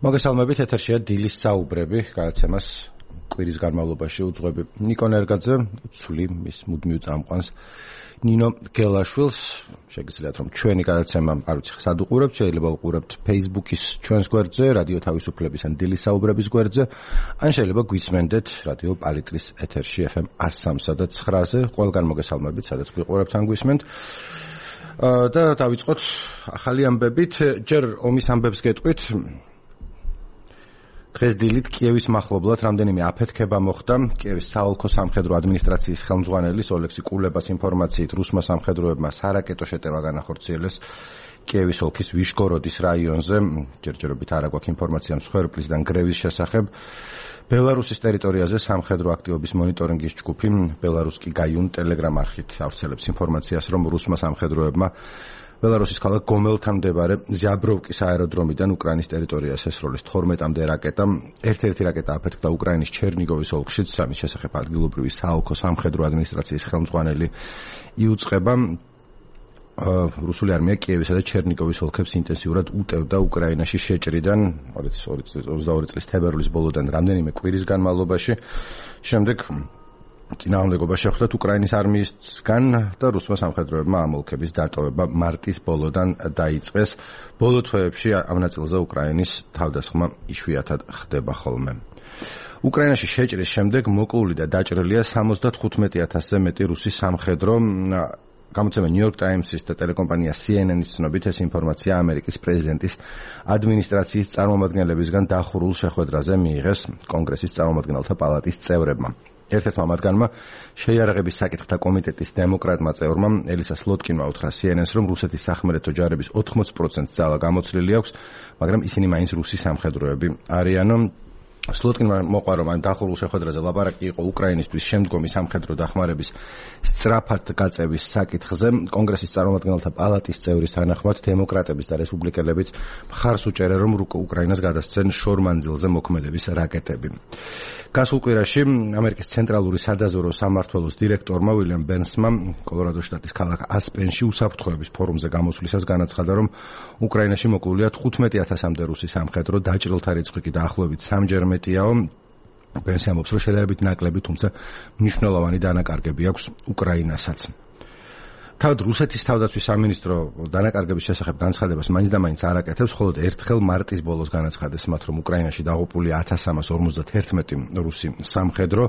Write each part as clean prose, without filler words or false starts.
მოგესალმებით, ეთერშია დილის საუბრები, გადაცემას კვირის განმავლობაში უძღვები ნიკო ნერგაძე, ცვლი მის მუდმივ წამყვანს ნინო გელაშვილს. შეგიძლიათ რომ ჩვენი გადაცემა არ ვიცი სად უყურებთ, შეიძლება უყურებთ Facebook-ის ჩვენს გვერდზე, რადიო თავისუფლების ან დილის საუბრების გვერდზე, ან შეიძლება გვისმენდეთ რადიო პალიტრის ეთერში FM 103 და 9-ზე. ყველგან მოგესალმებით, სადაც გვიყურებთ ან გვისმენთ. და დავიწყოთ ახალი ამბებით, ჯერ ომის ამბებს გეტყვით. დღეს დილით კიევის მახლობლად რამდენიმე აფეთქება მოხდა. კიევის საოლქო სამხედრო ადმინისტრაციის ხელმძღვანელის ოლექსი კულებას ინფორმაციით რუსმა სამხედროებმა სარაკეტო შეტევა განახორციელეს კიევის ოლქის ვიშგოროდის რაიონზე. ჯერჯერობით არ აქვს ინფორმაცია მსხვერპლისგან გრევის შესახებ. ბელარუსის ტერიტორიაზე სამხედრო აქტივობის მონიტორინგის ჯგუფი ბელარუსკი გაიუნ ტელეგრამ არხით ავრცელებს ინფორმაციას, რომ რუსმა სამხედროებმა ბელარუსის ქალაქ გომელთან მდებარე ზიაბროვკის აეროდრომიდან უკრაინის ტერიტორიას ესროლის 12-მდე რაკეტა. ერთ-ერთი რაკეტა აფეთქდა უკრაინის ჩერნიგოვის ოლქშიც, ამის შესახებ ადგილობრივი საოლქო სამხედრო ადმინისტრაციის ხელმძღვანელი იუწყება. რუსული არმია კიევისა და ჩერნიგოვის ოლქებს ინტენსიურად უტევდა უკრაინაში შეჭრიდან 22 წლის თებერვლის ბოლოდან რამდენიმე კვირის განმავლობაში. შემდეგ წინააღმდეგობა შეხვდათ უკრაინის არმიისგან და რუსმა სამხედროებმა ამ ოლქების დატოვება მარტის ბოლოდან დაიწყეს. ბოლო თვეებში ამ ნაწილზე უკრაინის თავდასხმა იშვიათად ხდება ხოლმე. უკრაინაში შეჭრის შემდეგ მოკლული და დაჭრილია 75,000-ზე მეტი რუსი სამხედრო. გამოცემა New York Times-ის და ტელეკომპანია CNN-ის ცნობით ეს ინფორმაცია ამერიკის პრეზიდენტის ადმინისტრაციის წარმომადგენლებისგან დახურულ შეხვედრაზე მიიღეს კონგრესის წარმომადგენელთა პალატის წევრებმა. ერთ-ერთმა მათგანმა შეიარაღების საკითხთა კომიტეტის დემოკრატმა წევრმა ელისა სლოტკინმა უთხრა CNN-ს, რომ რუსეთის სახმელეთო ჯარების 80% ძალა გამოცვლილი აქვს, მაგრამ ისინი მაინც რუსი სამხედროები არიან. სლოტკინმა მოყვა, რომ ამ დახურულ შეხვედრაზე ლაპარაკი იყო უკრაინისთვის შემდგომი სამხედრო დახმარების სწრაფად გაწევის საკითხზე. კონგრესის წარმომადგენელთა პალატის წევრის თანახმად დემოკრატების და რესპუბლიკელებიც მხარს უჭერენ, რომ უკრაინას გადასცენ შორმანძილზე მოქმედების რაკეტები. გასულ კვირაში ამერიკის ცენტრალური სადაზვერვო სამმართველოს დირექტორმა უილიამ ბერნსმა კოლორადოს შტატის ქალაქ ასპენში უსაფრთხოების ფორუმზე გამოსვლისას განაცხადა, რომ უკრაინაში მოკლულია 15,000-მდე რუსი სამხედრო, დაჭრილთა რიცხვი კი დაახლოებით 3-ჯერ მეტიაო. ბერნსი ამბობს, რომ შედარებით ნაკლები, თუმცა მნიშვნელოვანი დანაკარგები აქვს უკრაინასაც. თავად რუსეთის თავდაცვის სამინისტრო დანაკარგების შესახებ განცხადებას მაინც და მაინც არ აკეთებს, ხოლო ერთხელ მარტის ბოლოს განაცხადეს მათ, რომ უკრაინაში დაღუპულია 1351 რუსი სამხედრო.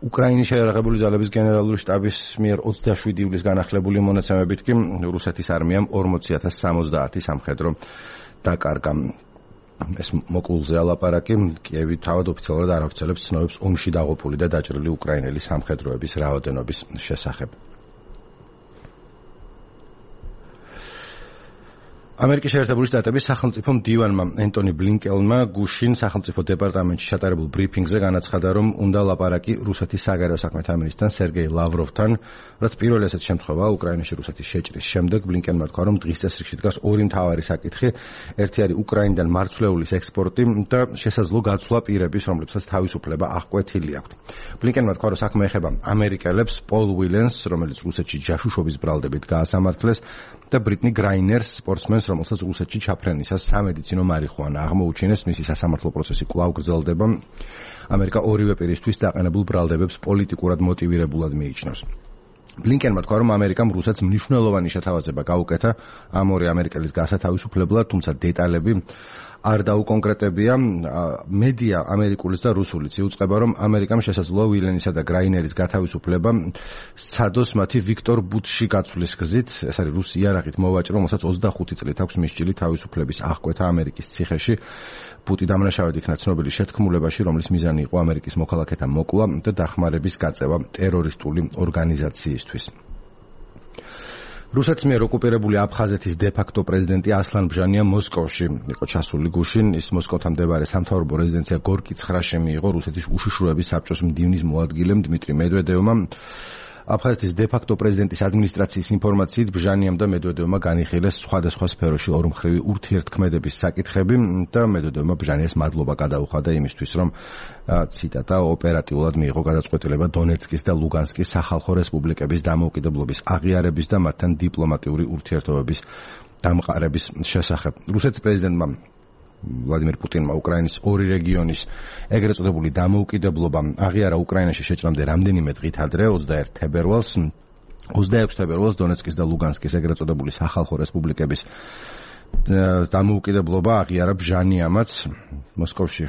უკრაინის შეიარაღებული ძალების გენერალური შტაბის მიერ 27 ივლისს განახლებული მონაცემებით კი რუსეთის არმიამ 40,070 სამხედრო დაკარგა. ეს მოკლულზე ალაპარაკი. კიევი თავად ოფიციალურად არ ავრცელებს ცნობებს ომში დაღუპული და დაჭრილი უკრაინელი სამხედროების რაოდენობის შესახებ. ამერიკის შეერთებული შტატების სახელმწიფო მდივანმა ენტონი ბლინკენმა გუშინ სახელმწიფო დეპარტამენტში ჩატარებულ ბრიფინგზე განაცხადა, რომ უნდა ლაპარაკი რუსეთის საგარეო საქმეთა მინისტრთან სერგეი ლავროვთან, რაც პირველი ასეთი შემთხვევაა უკრაინაში რუსეთის შეჭრის შემდეგ. ბლინკენმა თქვა, რომ დღის წესრიგში დგას ორი მთავარი საკითხი. ერთი არის უკრაინიდან მარცვლეულის ექსპორტი და შესაძლო გაცვლა პირების, რომლებსაც თავისუფლება აღკვეთილი აქვთ. ბლინკენმა თქვა, რომ საქმე ეხება ამერიკელებს, პოლ ვილენს, რომელიც რუსეთში ჯაშუშობის ბრალდებით გაასამართლეს, და ბრიტნი გრაინერს, სპორტსმენს, რომელსაც რუსეთში ჩაფრენისას სამედიცინო მარიხუანა აღმოუჩინეს. მისი სასამართლო პროცესი კვლავ გრძელდება. ამერიკა ორივე პირისთვის დაყენებულ ბრალდებებს პოლიტიკურად მოტივირებულად მიიჩნევს. ბლინკენმა თქვა, რომ ამერიკამ რუსეთს მნიშვნელოვანი შეთავაზება გაუკეთა ამ ორი ამერიკელის გასათავისუფლებლად, თუმცა დეტალები არ დაუკონკრეტებია. მედია ამერიკულის და რუსულიც იუწყება, რომ ამერიკამ შესაძლოა ვილენისა და გრაინერის გათავისუფლება სცადოს მათი ვიქტორ ბუთში გაცვლის გზით. ეს არის რუსი იარაღით მოვაჭრო, რომელსაც 25 წლით აქვს მისჭილი თავისუფლების აღკვეთა ამერიკის ციხეში. ბუტი დამნაშავედ იქნა ცნობილი შეთქმულებაში, რომლის მიზანი იყო ამერიკის მოქალაქეთა მოკვლა და დახმარების გაწევა ტერორისტული ორგანიზაციისთვის. რუსეთის მიერ ოკუპირებული აფხაზეთის დე-ფაქტო პრეზიდენტი ასლან ბჟანია მოსკოვში იყო ჩასული გუშინ. ის მოსკოვთან მდებარე სამთავრობო რეზიდენცია გორკი 9-ში მიიღო რუსეთის უშიშროების საბჭოს მდივნის მოადგილემ დმიტრი მედვედევმა. აფხაზეთის დე-ფაქტო პრეზიდენტის ადმინისტრაციის ინფორმაციით ბჟანიამ და მედვედევმა განიხილეს სხვადასხვა სფეროში ორმხრივი ურთიერთქმედების საკითხები და მედვედევმა ბჟანიას მადლობა გადაუხადა იმისთვის, რომ ციტატა ოპერატიულად მიიღო გადაწყვეტილება დონეცკის და ლუგანსკის სახალხო რესპუბლიკების დამოუკიდებლობის აღიარების და მათთან დიპლომატიური ურთიერთობების დამყარების შესახებ. რუსეთის პრეზიდენტმა ვლადიმერ პუტინმა უკრაინის ორი რეგიონის ეგრეთ წოდებული დამოუკიდებლობა აღიარა უკრაინაში შეჭრამდე რამდენიმე დღით ადრე 21 თებერვალს 26 თებერვალს დონეცკის და ლუგანსკის ეგრეთ წოდებული სახალხო რესპუბლიკების დამოუკიდებლობა აღიარა ბჟანიამაც მოსკოვში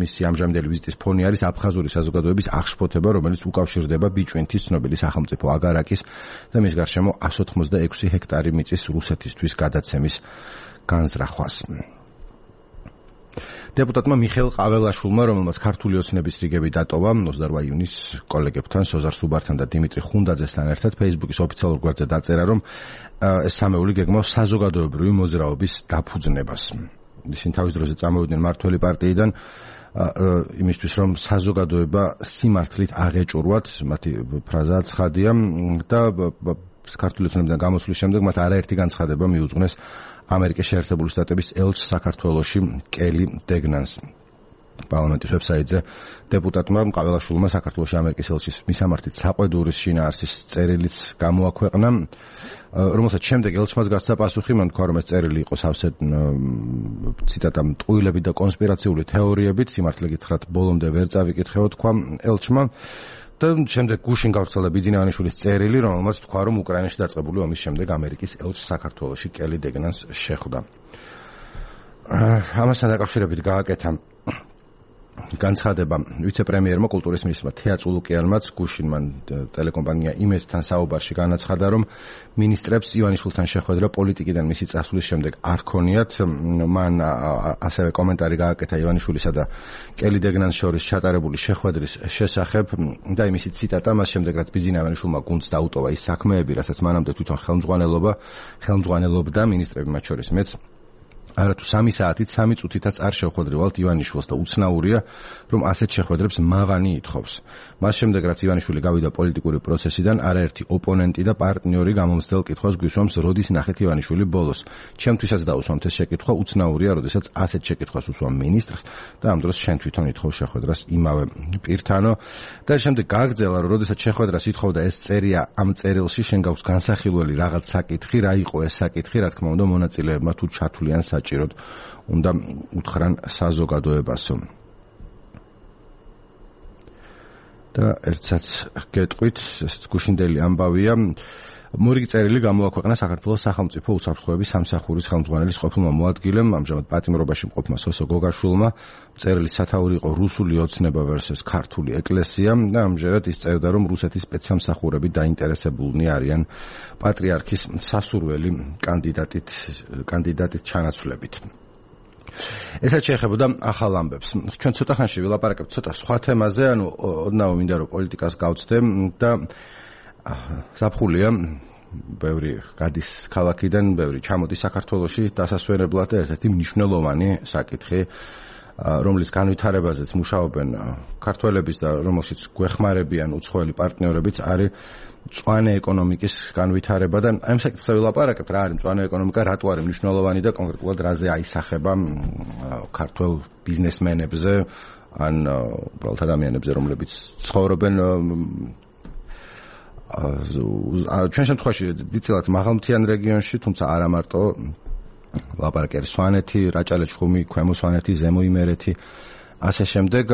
მისი ამჟამინდელი ვიზიტის ფონი არის აფხაზური საზოგადოების აღშფოთება, რომელიც უკავშირდება ბიჭვინთის ცნობილი სახელმწიფო აგარაკის და მის გარშემო 186 ჰექტარი მიწის რუსეთისთვის გადაცემის განზრახვას. დეპუტატმა მიხეილ ყაველაშვილმა, რომელმაც ქართული ოცნების რიგები დატოვა 28 იუნის კოლეგებთან, სოზარ სუბართან და დიმიტრი ხუნდაძესთან ერთად Facebook-ის ოფიციალურ გვერდზე დაწერა, რომ ეს სამეული გეგმავს საზოგადოებრივი მოძრაობის დაფუძნებას. ისინი თავის დროზე წამოვიდნენ მართველი პარტიიდან იმისთვის, რომ საზოგადოება სიმართლით აღეჭურვათ, მათი ფრაზაა ცხადია და ქართული ოცნებიდან გამოსვლის შემდეგ მათ არაერთი განცხადება მიუძღვნეს ამერიკის შეერთებული შტატების ელჩს საქართველოში კელი დეგნანს. პარლამენტის ვებსაიტზე დეპუტატმა ყაველაშვილმა საქართველოში ამერიკის ელჩის მისამართით საყვედურის შინაარსის წერილიც გამოაქვეყნა, რომელსაც შემდეგ ელჩმაც გასცა პასუხი, მან თქვა, რომ ეს წერილი იყო სავსე ციტატა მტყუილებით და კონსპირაციული თეორიებით, სიმართლე გითხრათ, ბოლომდე ვერ წავიკითხეო, თქვა ელჩმა. და შემდეგ გუშინ გავრცელდა ბიძინავანიშვილის წერილი, რომელმაც თქვა, რომ უკრაინაში დაწყებული ომის შემდეგ ამერიკის ელჩს საქართველოში კელი დეგნანს შეხვდა. ამასთან დაკავშირებით გააკეთა განცხადება ვიცე-პრემიერმა კულტურის მინისტრმა თეა წულუკიანმაც გუშინ მან ტელეკომპანია იმედთან საუბარში განაცხადა, რომ მინისტრებს ივანიშვილთან შეხვედრა პოლიტიკიდან მისი წასვლის შემდეგ არ ქონიათ. მან ასევე კომენტარი გააკეთა ივანიშვილისა და კელი დეგნანს შორის ჩატარებული შეხვედრის შესახებ და იმისი ციტატა, მას შემდეგ რაც ბიძინავანიშვილმა გუნდს დაუტოვა ის საქმეები, რასაც მანამდე თვითონ ხელმძღვანელობდა მინისტრები, მათ შორის მეც არათუ 3 საათით 3 წუთითაც არ შევხვედრივალთ ივანიშვილს და უცნაურია, რომ ასეთ შეხვედრებს მაღანი ითხოვს. მას შემდეგ, რაც ივანიშვილი გავიდა პოლიტიკური პროცესიდან, არაერთი ოპონენტი და პარტნიორი გამომცდელ კითხვას გვისვამს, როდის ნახეთ ივანიშვილი ბოლოს. ჩემთვისაც დაუსვამთ ეს შეკითხვა, უცნაურია, როდესაც ასეთ შეკითხვას უსვამ მინისტრს და ამ დროს შენ თვითონ ითხოვ შეხვედრას იმავე პირთანო. და შემდეგ გააგრძელა, რომ როდესაც შეხვედრას ითხოვდა ეს წერია ამ წერილში, შენ გაქვს განსახილველი რაღაც საკითხი, რა იყო ეს საკითხი, რა თქმა უნდა, მონაწილეებმა თუ ჩათვლიან საჭიროდ უნდა უთხრან საზოგადოებასო. და ერთსაც გეტყვით, ეს გუშინდელი ამბავია. მორიგი წერილი გამოაქვეყნა საქართველოს სახელმწიფო უსაფრთხოების სამსახურის ხელმძღვანელის ყოფილმა მოადგილემ, ამჟამად პატიმრობაში მყოფმა სოსო გოგაშვილმა. წერილის სათაური იყო რუსული ოცნება versus ქართული ეკლესია და ამჯერად ის წერდა, რომ რუსეთის სპეცსამსახურები დაინტერესებულნი არიან პატრიარქის სასურველი კანდიდატით ჩანაცვლებით. ესაც შეეხებოდა ახალ ამბებს. ჩვენ ცოტა ხანში ვილაპარაკებთ ცოტა სხვა თემაზე, ანუ ოდნავ მინდა რომ პოლიტიკას გავცდე და ზაფხულია, ბევრი გადის ქალაქიდან, ბევრი ჩამოდის საქართველოში დასასვენებლად და ერთ-ერთი მნიშვნელოვანი საკითხი, რომლის განვითარებაზეც მუშაობენ ქართველების და რომელშიც გვეხმარებიან უცხოელი პარტნიორებიც, არის მწვანე ეკონომიკის განვითარება და ამ საკითხზე ვილაპარაკებთ, რა არის მწვანე ეკონომიკა, რატო არის მნიშვნელოვანი და კონკრეტულად რაზე აისახება ქართველ ბიზნესმენებზე ან უბრალოდ ადამიანებზე, რომლებიც ცხოვრობენ ჩვენ შემთხვევაში დიდწილად მაღალმთიან რეგიონში, თუმცა არა მარტო ლაპარაკი არის სვანეთი, რაჭა-ლეჩხუმი, ქვემო სვანეთი, ზემო იმერეთი, ასე შემდეგ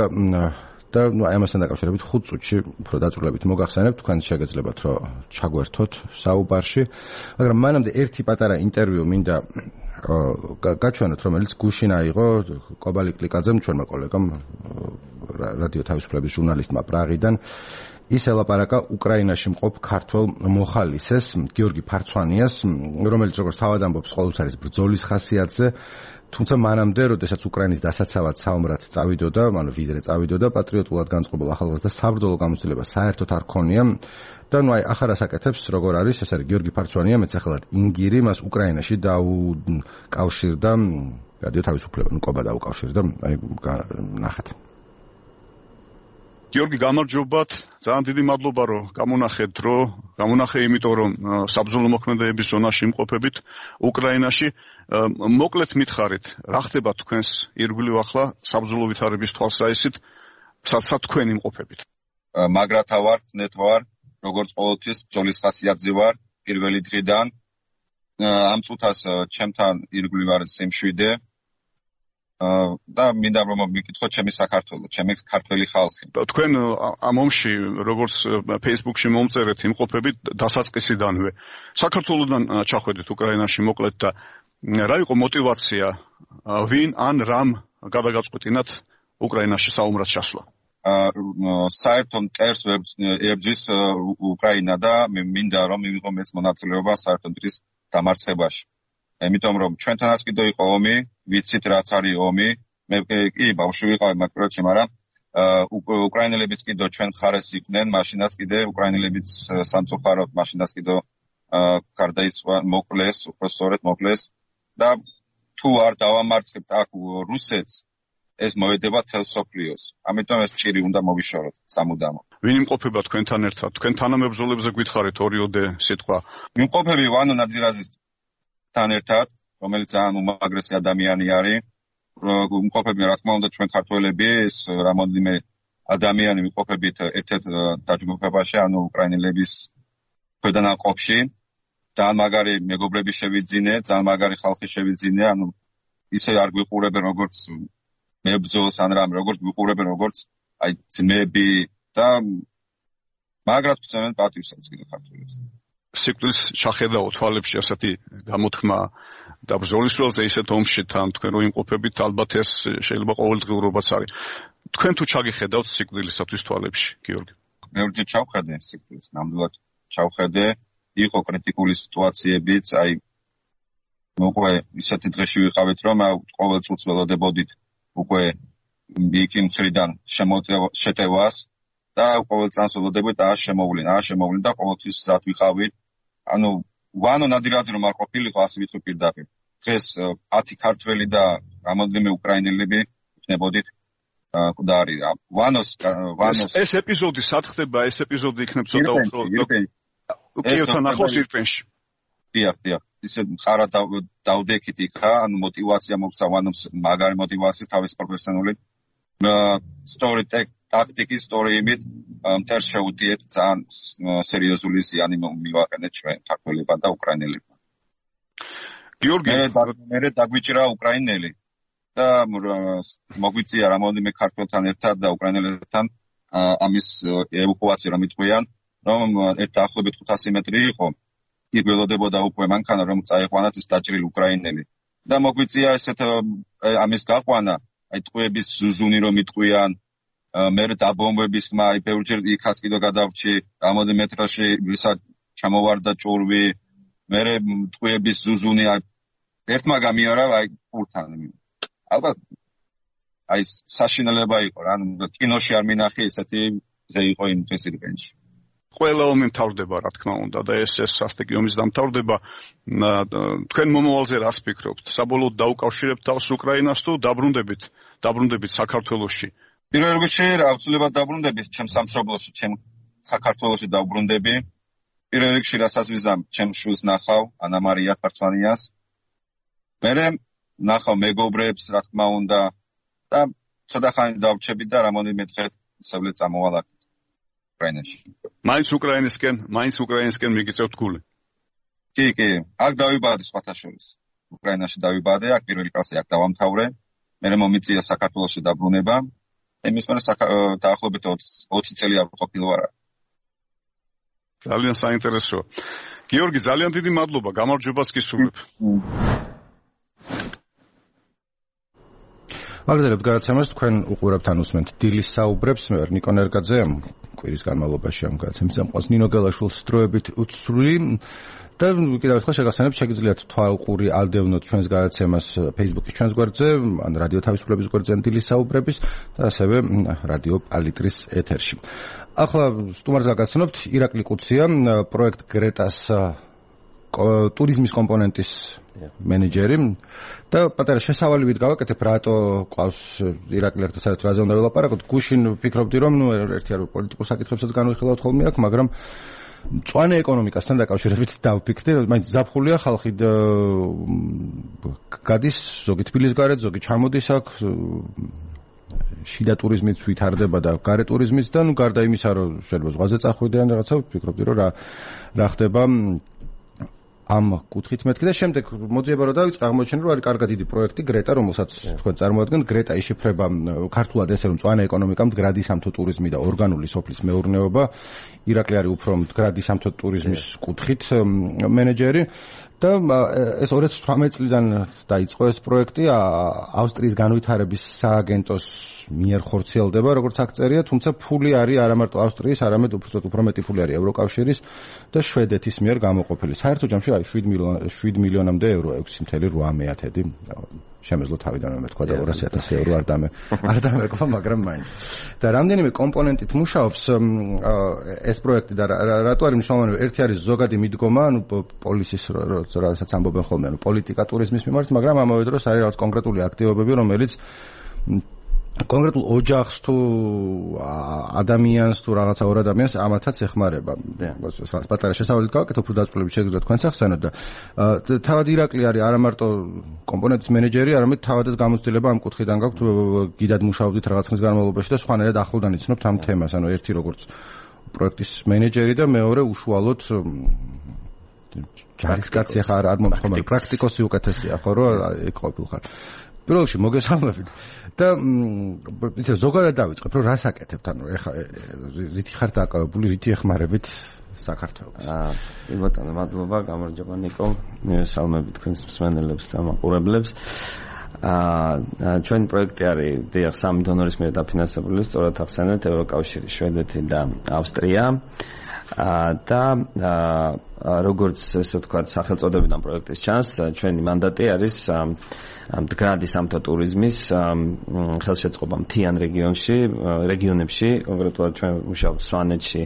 და ამასთან დაკავშირებით 5 წუთში უფრო დაწვრილებით მოგახსენებთ, თქვენ შეგეძლებათ რომ ჩაგვერთოთ საუბარში, მაგრამ მანამდე ერთი პატარა ინტერვიუ მინდა გაჩვენოთ, რომელიც გუშინ აიღო კობალი კლიკაძემ, ჩვენმა კოლეგამ, რადიო თავისუფლების ჟურნალისტმა პრაღიდან. ის ელაპარაკა უკრაინაში მყოფ ქართველ მოხალისეს, გიორგი ფარცვანიას, რომელიც როგორც თავად ამბობს, ყოველთვის არის ბრძოლის ხასიათზე, თუმცა მანამდე, როდესაც უკრაინის დასაცავად საომრად წავიდოდა, ანუ ვიდრე წავიდოდა, პატრიოტულად განწყობილ ახალგაზრდა საბრძოლო გამოცდილება საერთოდ არ ქონია და ნუ აი ახლა რასაკეთებს, როგორ არის, ეს არის გიორგი ფარცვანია, მეცახელად ინგირი, მას უკრაინაში დაუკავშირდა, რადიო თავისუფლება, კობა დაუკავშირდა, აი ნახეთ. გიორგი, გამარჯობათ. ძალიან დიდი მადლობა, რომ გამონახე იმიტომ, რომ საბრძოლო მოქმედებების ზონაში იმყოფებით უკრაინაში. მოკლედ მითხარით, რა ხდება თქვენს ირგვლივ ახლა საბრძოლო ვითარების თვალსაჩინით, სადაც თქვენ იმყოფებით? მაგრათა ვარ, ნეტვა ვარ, როგორც ყოველთვის ბრძოლის ხასიათზე ვარ პირველი დღიდან. ამ წუთას ჩემთან ირგვლივ არის სიმშვიდე. და მინდა რომ მიკითხოთ ჩემი საქართველო, ჩემი ქართველი ხალხი. თქვენ ამ ომში როგორც Facebook-ში მომწერეთ იმყოფებით დასაწყისიდანვე. საქართველოსთან ჩახვედით უკრაინაში მოკლედ და რა იყო мотиваცია ვინ ან რამ გადაგაწყვეტინათ უკრაინაში საომრად ჩასვლა? საერთო მტერს ებრძვის უკრაინა და მინდა რომ მივიღო მეც მონაწილეობა საერთო მტრის დამარცხებაში. იმიტომ რომ ჩვენთანაც კიდევ იყო ომი, ვიცით რაც არის ომი, მე კი ბავშვი ვიყავი მაგ პროექტში, მაგრამ უკრაინელებიც კიდევ ჩვენ ხარეს იყვნენ, მაშინაც კიდევ უკრაინელებიც სამწუხაროდ მაშინაც კიდევ გარდაიცვალა, მოკლეს, უпростоრეთ მოკლეს და თუ არ დავამარცხებთ აქ რუსეთს ეს მოედება თელ სოფლიოს. ამიტომ ეს ჭირი უნდა მოვიშოროთ სამუდამო. ვინ იმყოფება თქვენთან ერთად? თქვენ თანამებრძოლებზე გითხარით ორიოდე სიტყვა. მიმყოფები ვანო ნაძირაძისთან ერთად, რომელიც ძალიან უმაგრესი ადამიანი არის. იმყოფები რა თქმა უნდა ჩვენ ქართველები, ეს რამოდენიმე ადამიანი მიმყოფებით ერთ-ერთ დაჯგუფებაში, ანუ უკრაინელების ქვედანაყოფში. ძალიან მაგარი მეგობრები შევიძინე, ძალიან მაგარი ხალხი შევიძინე, ანუ ისე არ გვიყურებენ როგორც მებრძოლს ან რამ, როგორც გვიყურებენ როგორც აი ძმები და მაგრად ვწევენ პატივსაც კიდე ქართველებს. სიკვდილს ჩახედაო თვალებში ასეთი გამოთქმა და ბრძოლის ველზე ისეთ ომში თან თქვენ რო იმყოფებით, ალბათ ეს შეიძლება ყოველდღიურობაც არის. თქვენ თუ ჩაგიხედავთ სიკვდილისათვის თვალებში, გიორგი? მე ვერჯერ ჩავხედე სიკვდილს, ნამდვილად ჩავხედე. იყო კრიტიკული სიტუაციებიც, აი უკვე ისეთი დღეში ვიყავით, რომ ყოველ წუთს ველოდებოდით უკვე იქ მხრიდან შეტევას და ყოველ წამს ველოდებით შემოვლენ და ყოველთვის სად ვიყავით. ანუ ვანო ნადირაძე რომ არ ყოფილიყო, ასე ვიტყვი პირდაპირ. დღეს 10 ქართველი და რამოდენიმე უკრაინელები იქნებოდით მკვდარი. ვანოს ეს ეპიზოდი სად ხდება? ეს ეპიზოდი იქნებ ცოტა უფრო უკიევთან ახლოს ირპენში. დიახ. ისე მყარად დავდექით იქა, ანუ мотиваცია მოხდა ვანოს მაგარი мотиваცია თავის პროფესიონალური ტაქტიკის სტორიებით მტერს შეუდიეთ ძალიან სერიოზული ზიანი მივაყენეთ ჩვენ ქართველებმა და უკრაინელებმა. გიორგი, მე დაგვიჭრა უკრაინელი და მოგვიწია რამოდენიმე ქართველთან ერთად და უკრაინელებთან ამის ევაკუაცია რომ იტყვიან, რომ დაახლოებით 500 მეტრი იყო. იქ ველოდებოდა უკვე მანქანა რომ წაიყვანათ ის დაჭრილი უკრაინელი. და მოგვიწია ესეთ ამის გაყვანა, აი ტყვეების ზუზუნი რომ იტყვიან, მე დაბომბების ხმა, აი ბევრჯერ იქაც კიდე გადავრჩი, რამოდენიმე მეტრაში ვისაც ჩამოვარდა ჭურვი, მე ტყვეების ზუზუნი აი ერთმა გამიარა აი პურთან. ალბათ აი საშინელება იყო რა, ანუ კინოში არ მინახე ესეთი დღე იყო იმ დღეს ირგენში. ყველა ომი მთავრდება, რა თქმა უნდა, და ეს სასტიკი ომის დამთავრდება. თქვენ მომავალზე რას ფიქრობთ? საბოლოოდ დაუკავშირებთ თავს უკრაინას თუ დაბრუნდებით საქართველოში? პირველ რიგში აუცილებლად დაბრუნდებით ჩემ სამშობლოში, ჩემ საქართველოში დავბრუნდები. პირველ რიგში რასაც ვიზამ, ჩემ შვილს ნახავ, ანა მარია ფარცვანიას. მერე ნახავ მეგობრებს, რა თქმა უნდა, და ცოტა ხანი დავრჩები და რამოდენიმე დღე ისევ წამოვალ უკრაინაში. მაინც უკრაინისკენ მიგიწევთ გული? კი, აქ დავიბადე სხვათა შორის. უკრაინაში დავიბადე, აქ პირველი კლასი აქ დავამთავრე. მერე მომიწია საქართველოში დაბრუნება. იმის მერე დაახლოებით 20 წელი არ ყოფილი ვარ. ძალიან საინტერესოა. გიორგი, ძალიან დიდი მადლობა, გამარჯვებას გისურვებ. მაგდერებთ გადაცემას თქვენ უყურებთ ან უსმენთ დილის საუბრებს, მე ვარ ნიკო ნერგაძე. კვირის განმავლობაში ამ გადაცემის ამყვანს ნინო გელაშვილს დროებით უცვლი და კიდევ ერთხელ შეგახსენებთ, შეგიძლიათ თვალყური ალდევნოთ ჩვენს გადაცემას Facebook-ის ჩვენს გვერდზე, ან რადიო თავისუფლების გვერდზე დილის საუბრების და ასევე რადიო პალიტრის ეთერში. ახლა სტუმარს გაგაცნობთ ირაკლი კუცია, პროექტ გრეტას ტურიზმის კომპონენტის მენეჯერი და პატარა შესავალებით გავაკეთებ, რატო ყავს ირაკლი ერთად საერთოდ რაზე უნდა ველაპარაკოთ. გუშინ ვფიქრობდი, რომ ერთი არ პოლიტიკურ საკითხებსაც განვიხილავთ ხოლმე აქ, მაგრამ მწვანე ეკონომიკასთან დაკავშირებით დავფიქრდი, მაინც ზაფხულია ხალხი გადის, ზოგი თბილის გარეთ, ზოგი ჩამოდის აქ, შიდა ტურიზმით ვითარდება და გარე ტურიზმით და გარდა იმისა, რომ შეიძლება ზღვაზე წახვიდე ან რაღაცა, ვფიქრობდი, რომ რა ხდება ამ კუთხით მეთქი და შემდეგ მოძიება რომ დავიწყე აღმოჩენე რომ არის კარგად დიდი პროექტი გრეტა რომელსაც თქვენ წარმოადგენთ გრეტა იშიფრება ქართულად ესე რომ მწვანე ეკონომიკა მდგრადი სამთო ტურიზმი და ორგანული სოფლის მეურნეობა ირაკლი არის უფრო მდგრადი სამთო ტურიზმის კუთხით მენეჯერი და ეს 2018 წლიდან დაიწყო ეს პროექტი ავსტრიის განვითარების სააგენტოს მიერ ხორციელდება როგორც აქ წერია თუმცა ფული არის არა მარტო ავსტრიის არამედ უფრო მეტი ფული არის ევროკავშირის და შვედეთის მიერ გამოყოფილი საერთო ჯამში არის 7 მილიონამდე ევრო 6.8 შემეძლო თავიდანვე მეთქვა და 200,000 ევრო არ დამეკვა მაგრამ მაინც და რამდენიმე კომპონენტით მუშაობს ეს პროექტი და რატო არის მნიშვნელოვანი ერთი არის ზოგადი მიდგომა ანუ პოლისის როდესაც ამბობენ ხოლმე ანუ პოლიტიკა ტურიზმის მიმართ მაგრამ ამავე დროს არის რაღაც კონკრეტული აქტივობები რომელიც კონკრეტულ ოჯახს თუ ადამიანს თუ რაღაცა ორ ადამიანს ამათაც ეხმარება. პატარა შესაძლებლად გავაკეთე უფრო დაწვრილებით შეგიძლიათ თქვენ სახსენოთ და თავად ირაკლი არის არა მარტო კომპონენტის მენეჯერი, არამედ თავადაც გამოცდილება ამ კუთხიდან გაქვთ გიდად მუშაობდით რაღაც ხნის განმავლობაში და სხვანაირად ახლოდან იცნობთ ამ თემას, ანუ ერთი როგორც პროექტის მენეჯერი და მეორე უშუალოდ ჯარისკაცი ხარ არ მომხდარ პრაქტიკოსი უკეთესია ხო რომ იქ ყოფილხარ. პირველში მოგესალმებით და იცი ზოგადად დავიწყებ რომ რას აკეთებთ ანუ ეხა რითი ხარ დაკავებული რითი ეხმარებით საქართველოს ბატონო მადლობა გამარჯობა ნიკო მივესალმებით თქვენს მსმენელებს და მაყურებლებს ჩვენი პროექტი არის დიახ სამი დონორის მიერ დაფინანსებული სწორად ახსენეთ ევროკავშირი შვედეთი და ავსტრია და როგორც ესე ვთქვათ სახელწოდებიდან პროექტის ჩანს ჩვენი მანდატი არის მდგრადი სამთო ტურიზმის ხელშეწყობა მთიან რეგიონებში კონკრეტულად ჩვენ მუშაობთ სვანეთში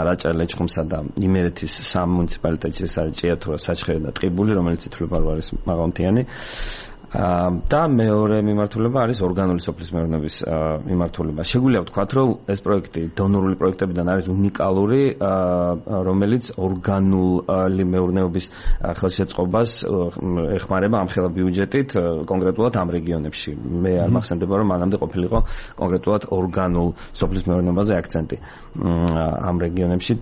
რაჭა ლეჩხუმსა და იმერეთის სამ მუნიციპალიტეტში ეს არის ჭიათურა საჩხერი და ტყიბული რომელიც ითვლება რომ არის მაღალმთიანი და მეორე მიმართულება არის ორგანული სოფლის მეურნეობის მიმართულება. შეგვიძლია ვთქვათ, რომ ეს პროექტი დონორული პროექტებიდან არის უნიკალური, რომელიც ორგანული მეურნეობის ხელშეწყობას ეხმარება ამ ხელა ბიუჯეტით კონკრეტულად ამ რეგიონებში. მე არ მახსენდება, რომ მანამდე ყოფილიყო კონკრეტულად ორგანულ სოფლის მეურნეობაზე აქცენტი ამ რეგიონებში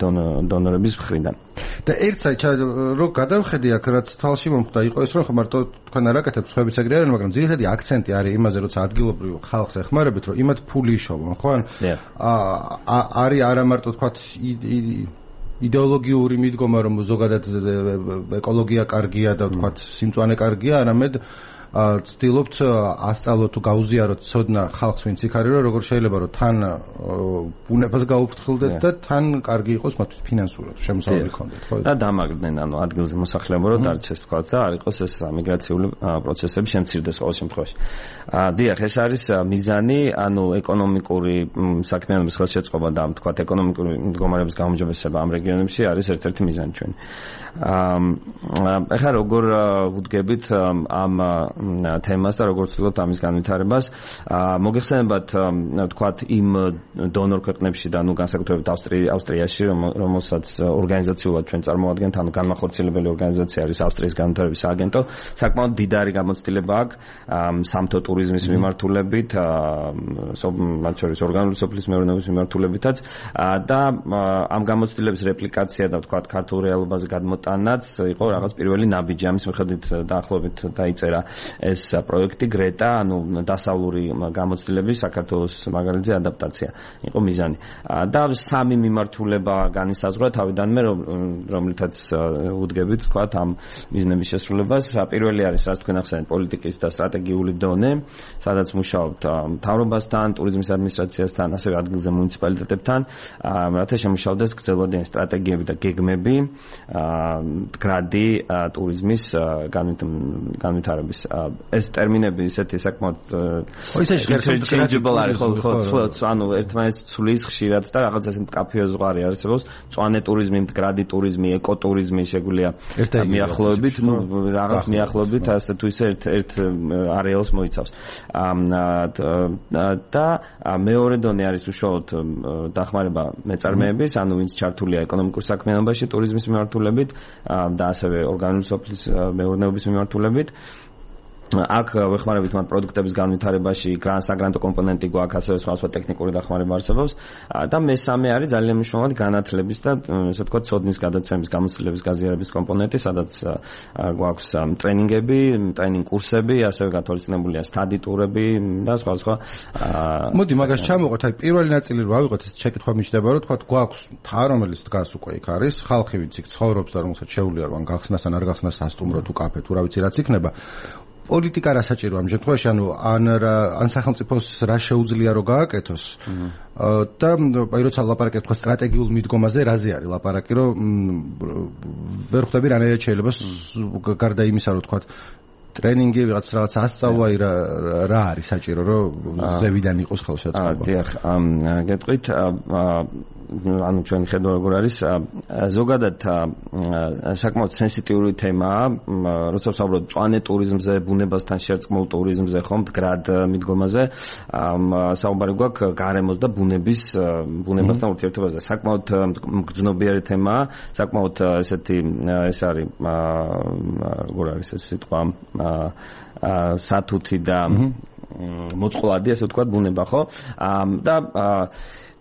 დონორების მხრიდან. და ერთ საერთოდ რო გადავხედი აქ რაც თვალში მომხვდა იყო ის რომ მარტო თქვენ არ აკეთებთ ხმების ეგრე არის, მაგრამ ძირითადი აქცენტი არის იმაზე, როცა ადგილობრივ ხალხს ეხმარებით, რომ იმათ ფული იშოვონ, ხო? არის არა მარტო თქვათ იდეოლოგიური მიდგომა, რომ ზოგადად ეკოლოგია კარგია და თქვათ სიმწვანე კარგია, არამედ ცდილობთ ასწავლოთ თუ გაუზიაროთ ცოდნა ხალხს ვინც იქ არის, რომ როგორ შეიძლება რომ თან ბუნებას გაუფრთხილდეთ და თან კარგი იყოს მათთვის ფინანსურად შემოსავალი ქონდეთ, ხო? და დამაგრდნენ ანუ ადგილზე მოსახლეობა რომ დარჩეს თქვათ და არ იყოს ეს მიგრაციული პროცესები შემცირდეს ყოველ შემთხვევაში. დიახ, ეს არის მიზანი, ანუ ეკონომიკური საქმიანობის ხელშეწყობა და თქვათ ეკონომიკური მდგომარეობის გაუმჯობესება ამ რეგიონებში არის ერთ-ერთი მიზანი ჩვენი. ეხლა როგორ ვუდგებით ამ თემას და როგორც ვთქვათ ამის განვითარებას მოგეხსენებათ თქვათ იმ დონორ ქვეყნებში და განსაკუთრებით ავსტრიაში რომელსაც ორგანიზაციულად ჩვენ წარმოადგენთ ანუ განმახორციელებელი ორგანიზაცია არის ავსტრიის განვითარების სააგენტო საკმაოდ დიდარი გამოცდილება აქვს სამთო ტურიზმის მიმართულებით მათ შორის ორგანული სოფლის მეურნეობის მიმართულებითაც და ამ გამოცდილების რეპლიკაცია და თქვათ ქართულ რეალობაზე გადმოტანაც იყო რაღაც პირველი ნაბიჯი ამის მიხედვით დაახლოებით დაიწერა ეს პროექტი გრეტა, ანუ დასავლური გამოცდილების საქართველოს მაგალითზე ადაპტაცია იყო მიზანი. და სამი მიმართულება განისაზღვრა თავიდანვე, რომლითაც უდგებით, თქვათ, ამ მიზნების შესრულებას. პირველი არის, რაც თქვენ ახსენეთ, პოლიტიკის და სტრატეგიული დონე, სადაც მუშაობთ მთავრობასთან, ტურიზმის ადმინისტრაციასთან, ასევე ადგილზე მუნიციპალიტეტებთან, რათა შემუშავდეს გრძელვადიანი სტრატეგიები და გეგმები მდგრადი ტურიზმის განვითარების ეს ტერმინები ისეთი საკმაოდ interchangeable არის ხო ანუ ერთმანეთს ცulis ხშირად და რაღაც ესე მკაფიო ზღვარი არსებობს მწვანე ტურიზმი, მდგრადი ტურიზმი, ეკოტურიზმი შეგვიძლია მიახლოებით, ну რაღაც მიახლოებით ასე თუ ისე ერთ არეალს მოიცავს. და მეორე დონე არის უშუალოდ დახმარება მეწარმეების, ანუ ვინც ჩართულია ეკონომიკურ საქმიანობაში ტურიზმის მიმართულებით და ასევე ორგანული სოფლის მეურნეობის მიმართულებით. აქ ვეხმარებით მათ პროდუქტების განვითარებაში, საგრანტო კომპონენტი გვაქვს, ასევე სხვა ტექნიკური დახმარება არსებობს და მესამე არის ძალიან მნიშვნელოვანი განათლების და ესე ვთქვათ ცოდნის გადაცემის, გამოცდილების, გაზიარების კომპონენტი, სადაც გვაქვს ტრენინგები, ტრენინგ კურსები, ასევე გათვალისწინებულია სტადი ტურები და სხვა. მოდი მაგას ჩამოვყოთ, აი პირველი ნაწილი რო ავიღოთ, ეს შეკითხვა მიჩნდება, რომ თქვათ გვაქვს მთა, რომელიც დგას უკვე იქ არის, ხალხი ვინც იქ ცხოვრობს და რომელსაც შეუძლია რომ გახსნას ან არ გახსნას სასტუმრო თუ კაფე თუ რა ვიცი რაც იქნება. პოლიტიკა რა საჭიროა ამ შემთხვევაში, ან სახელმწიფოს რა შეუძლია რომ გააკეთოს და აი როცა ლაპარაკობთ თქვა სტრატეგიულ მიდგომაზე, რაზე არის ლაპარაკი, რომ ვერ ხვდები რანაირად შეიძლება გარდა იმისა რომ თქვა ტრენინგი რაღაც ასწავლა რა არის საჭირო რომ ზევიდან იყოს ხელშეწყობა. დიახ, გეტყვით ანუ ჩვენი ხედვა როგორ არის ზოგადად საკმაოდ სენსიტიური თემაა, როცა ვსაუბრობთ მწვანე ტურიზმზე, ბუნებასთან შერწყმულ ტურიზმზე, ხომ მდგრად მიდგომაზე, საუბარი გვაქვს გარემოს და ბუნებასთან ურთიერთობაზე. საკმაოდ მგრძნობიარე თემაა, საკმაოდ ესეთი ეს არის როგორ არის ეს სიტყვა სათუთი და მოწყვლადი, ასე ვთქვათ, ბუნება, ხო? და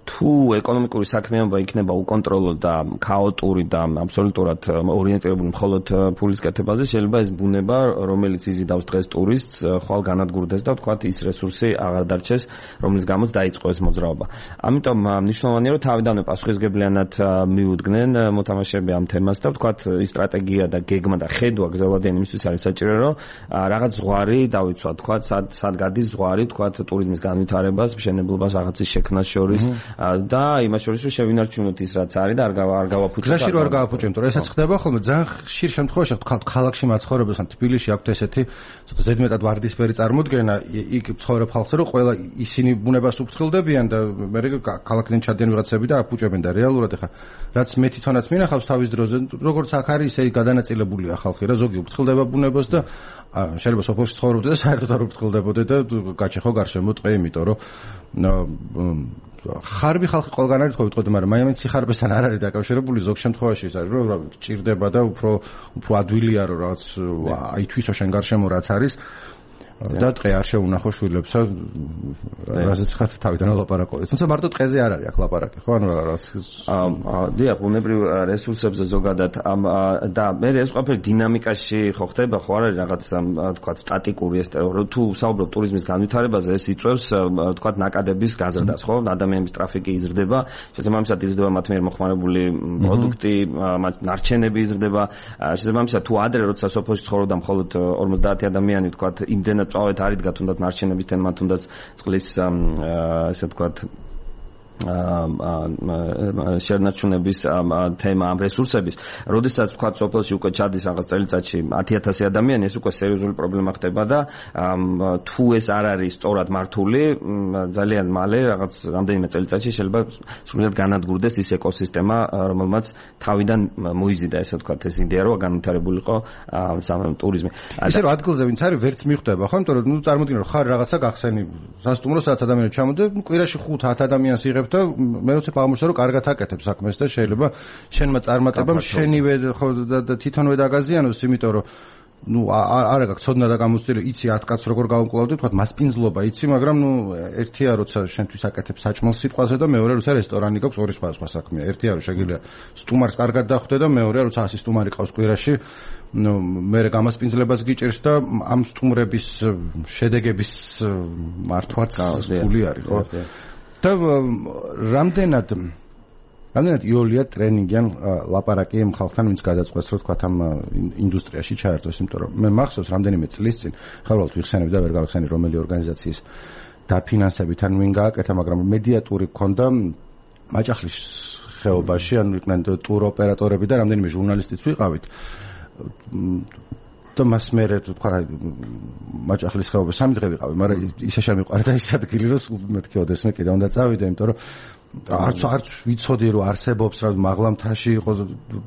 თუ ეკონომიკური საქმიანობა იქნება უკონტროლო და ქაოტური და აბსოლუტურად ორიენტირებული მხოლოდ ფულის კეთებაზე, შეიძლება ეს ბუნება, რომელიც იზიდავს დღეს ტურისტს, ხვალ განადგურდეს და ვთქვათ ის რესურსი აღარ დარჩეს, რომლის გამოც დაიწყო ეს მოძრაობა. ამიტომ მნიშვნელოვანია, რომ თავიდანვე პასუხისგებლიანად მიუდგნენ მოთამაშეები ამ თემას და ვთქვათ ის სტრატეგია და გეგმა და ხედვა გზელვადიანი იმისთვის არის საჭირო, რომ რაღაც ზღვარი დავიცვათ, ვთქვათ, სად გადის ზღვარი, ვთქვათ ტურიზმის განვითარებას, მშენებლობას, რაღაცის შექმნას შორის. და იმას შორის რომ შევინარჩუნოთ ის რაც არის და არ გავაფუჭოთ. გზაში რო არ გავაფუჭებთ, რომ ესაც ხდება ხოლმე ძალიან ხშირ შემთხვევაში ქალაქში მაცხოვრებელს ან თბილისში აქვთ ესეთი ზედმეტად ვარდისფერი წარმოდგენა, იქ ცხოვრებ ხალხზე რომ ყველა ისინი ბუნებას უფრთხილდებიან და მე ქალაქიდან ჩადიან ვიღაცები და აფუჭებენ და რეალურად ეხა რაც მე თვითონაც მინახავს თავის დროზე, როგორც აქ არის ისე გადანაწილებულია ხალხი რა, ზოგი უფრთხილდება ბუნებას და შეიძლება სოფელში ცხოვრობდე და საერთოდ არ უფრთხილდებოდე და გაჩეხო გარშემო ტყე, იმიტომ რომ ხარბი ხალხი ყველგან არის თქო ვიტყოდი, მაგრამ მაინც სიხარბესთან არ არის დაკავშირებული, ზოგ შემთხვევაში ის არის რომ ჭირდება და უფრო ადვილია რომ რაღაც აი თვისო შენ გარშემო რაც არის და ტყე არ შეუნახო შვილებსა, რაზეც ხათ თავიდან ლაპარაკობთ. თუმცა მარტო ტყეზე არ არის აქ ლაპარაკი, ხო? ანუ რაღაც დიახ, ბუნებრივ რესურსებზე ზოგადად და მე ეს ყველაფერი დინამიკაში ხო ხდება, ხო არ არის რაღაც თქვა სტატიკური ეს თუ საუბრობ ტურიზმის განვითარებაზე, ეს იწვევს თქვა ნაკადების გაზრდას, ხო? ადამიანების ტრაფიკი იზრდება, შესაბამისად იზრდება მათ მიერ მოხმარებული პროდუქტი, მათ ნარჩენები იზრდება, შესაბამისად თუ ადრე როცა სოფელში ცხოვრობდა მხოლოდ 50 ადამიანი, თქვა იმდენად წავედ არ იდგა თუნდაც ნარჩენების თემა, თუნდაც წყლის ესე ვთქვათ შენარჩუნების თემა, ამ რესურსების, როდესაც ვთქვათ სოფელში უკვე ჩადის რაღაც წელიწადში 10,000 ადამიანი, ეს უკვე სერიოზული პრობლემა ხდება და თუ ეს არ არის სწორად მართული, ძალიან მალე რაღაც რამდენიმე წელიწადში შეიძლება სრულად განადგურდეს ის ეკოსისტემა, რომელმაც თავიდან მოიზიდა, ესე ვთქვათ, ეს იდეა, რომ განვითარებულიყო ტურიზმი. ისე რომ ადგილზე ვინც არის, ვერც მიხვდება, ხო? იმიტომ რომ წარმოიდგინე რომ ხარ რაღაცა გახსენი სასტუმრო, სადაც ადამიანები ჩამოდიან, კვირაში 5-10 ადამიანს იღებ და მე როცა აღმოჩნდა რომ კარგად აკეთებ საქმეს და შეიძლება შენმა წარმატებამ შენივე ხო და თვითონვე დაგაზიანოს, იმიტომ რომ ნუ არა გაქვს ცოდნა და გამოცდილი, იცი 10 კაცს როგორ გავუკლავდი, თქვა მასპინძლობა იცი, მაგრამ ნუ ერთია როცა შენთვის აკეთებ საჭმელს სიტყვაზე და მეორე როცა რესტორანი გაქვს, ორი სხვა საქმეა. ერთია რომ შეგიძლია სტუმარს კარგად დახვდე და მეორეა როცა 100 სტუმარი ყავს კვირაში, ნუ მე გამასპინძლებას გიჭირს და ამ სტუმრების შედეგების მართვაც ფული არის, ხო? და რამდენად იოლია ტრენინგიან ლაპარაკი იმ ხალხთან, ვინც გადაწყვეტს, რომ თქვა ამ ინდუსტრიაში ჩაერთოს, იმიტომ რომ მე მახსოვს რამდენიმე წლის წინ ხალხად ვიხსენებ და ვერ გავხსენი რომელი ორგანიზაციის დაფინანსებით ან ვინ გააკეთა, მაგრამ მედიატური გქონდა მაჭახლის ხეობაში, ანუ იყვნენ ტურ ოპერატორები და რამდენიმე ჟურნალისტიც ვიყავით. და მას მე თქვა მაჭახლის ხეობაში 3 დღე ვიყავი, მაგრამ ისე შემიყვარდა ის ადგილი, რომ მეთქი ოდესმე კიდე უნდა წავიდე, იმიტომ რომ არც ვიცოდი რომ არსებობს რა მაღლა მთაში იყო,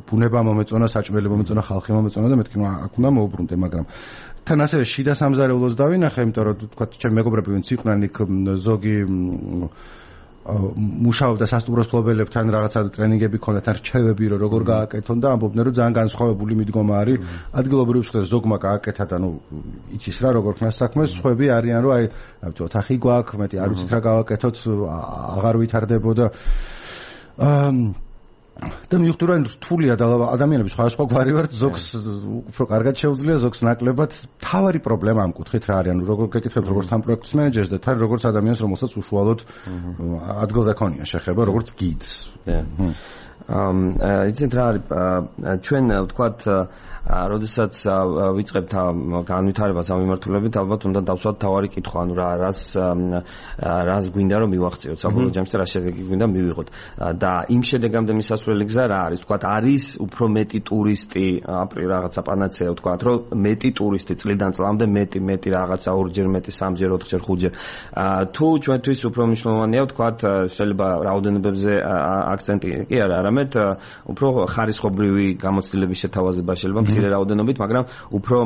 ბუნება მომეწონა, საჭმელი მომეწონა, ხალხი მომეწონა და მეთქი აქ უნდა მოუბრუნდე, მაგრამ თან ასევე შიდა სამზარეულოს დავინახე, იმიტომ რომ თქვა ჩემი მეგობრები ვინც იყვნენ იქ ზოგი მუშაობდა სასტუმროს ფლობელებთან რაღაცა ტრენინგები ქონდათ, რჩევები რომ როგორ გააკეთონ და ამბობდნენ რომ ძალიან განსხვავებული მიდგომა არის. ადგილობრივ მსხვილს ზოგმა გააკეთა და იცის რა როგორ ხნას საქმეს, სხვები არიან რომ ოთახი გვაქვს, მეტი არ ვიცით რა გავაკეთოთ, აღარ ვითარდებოდა. და მივხვდი რომ რთულია და ადამიანები სხვადასხვა გვარი ვართ, ზოგს უფრო კარგად შეუძლია, ზოგს ნაკლებად. თავარი პრობლემა ამ კუთხით რა არის, როგორ გეკითხებთ როგორც თან პროექტის მენეჯერს და თან როგორც ადამიანს, რომელსაც უშუალოდ ადგილზე ქონია შეხება, როგორც გიდს. იცით რა არის, ჩვენ ვთქვათ, როდესაც ვიწყებთ განვითარებას ამ მიმართულებით, ალბათ უნდა დავსვათ თავარი კითხვა, ანუ რას გვინდა რომ მივახციოთ, საბოლოო ჯამში რა შედეგი გვინდა მივიღოთ. და იმ შედეგამდე მისასვლელი გზა რა არის? ვთქვათ, არის უფრო მეტი ტურისტი, რაღაცა პანაცეა ვთქვათ, რომ მეტი ტურისტი წლიდან წლამდე მეტი რაღაცა 2-ჯერ მეტი, 3-ჯერ, 4-ჯერ, 5-ჯერ. თუ ჩვენთვის უფრო მნიშვნელოვანია ვთქვათ, შეიძლება რაოდენობებზე აქცენტი კი არა, არამედ უფრო ხარისხობრივი გამოცდილების შეთავაზება შეიძლება მცირე რაოდენობით, მაგრამ უფრო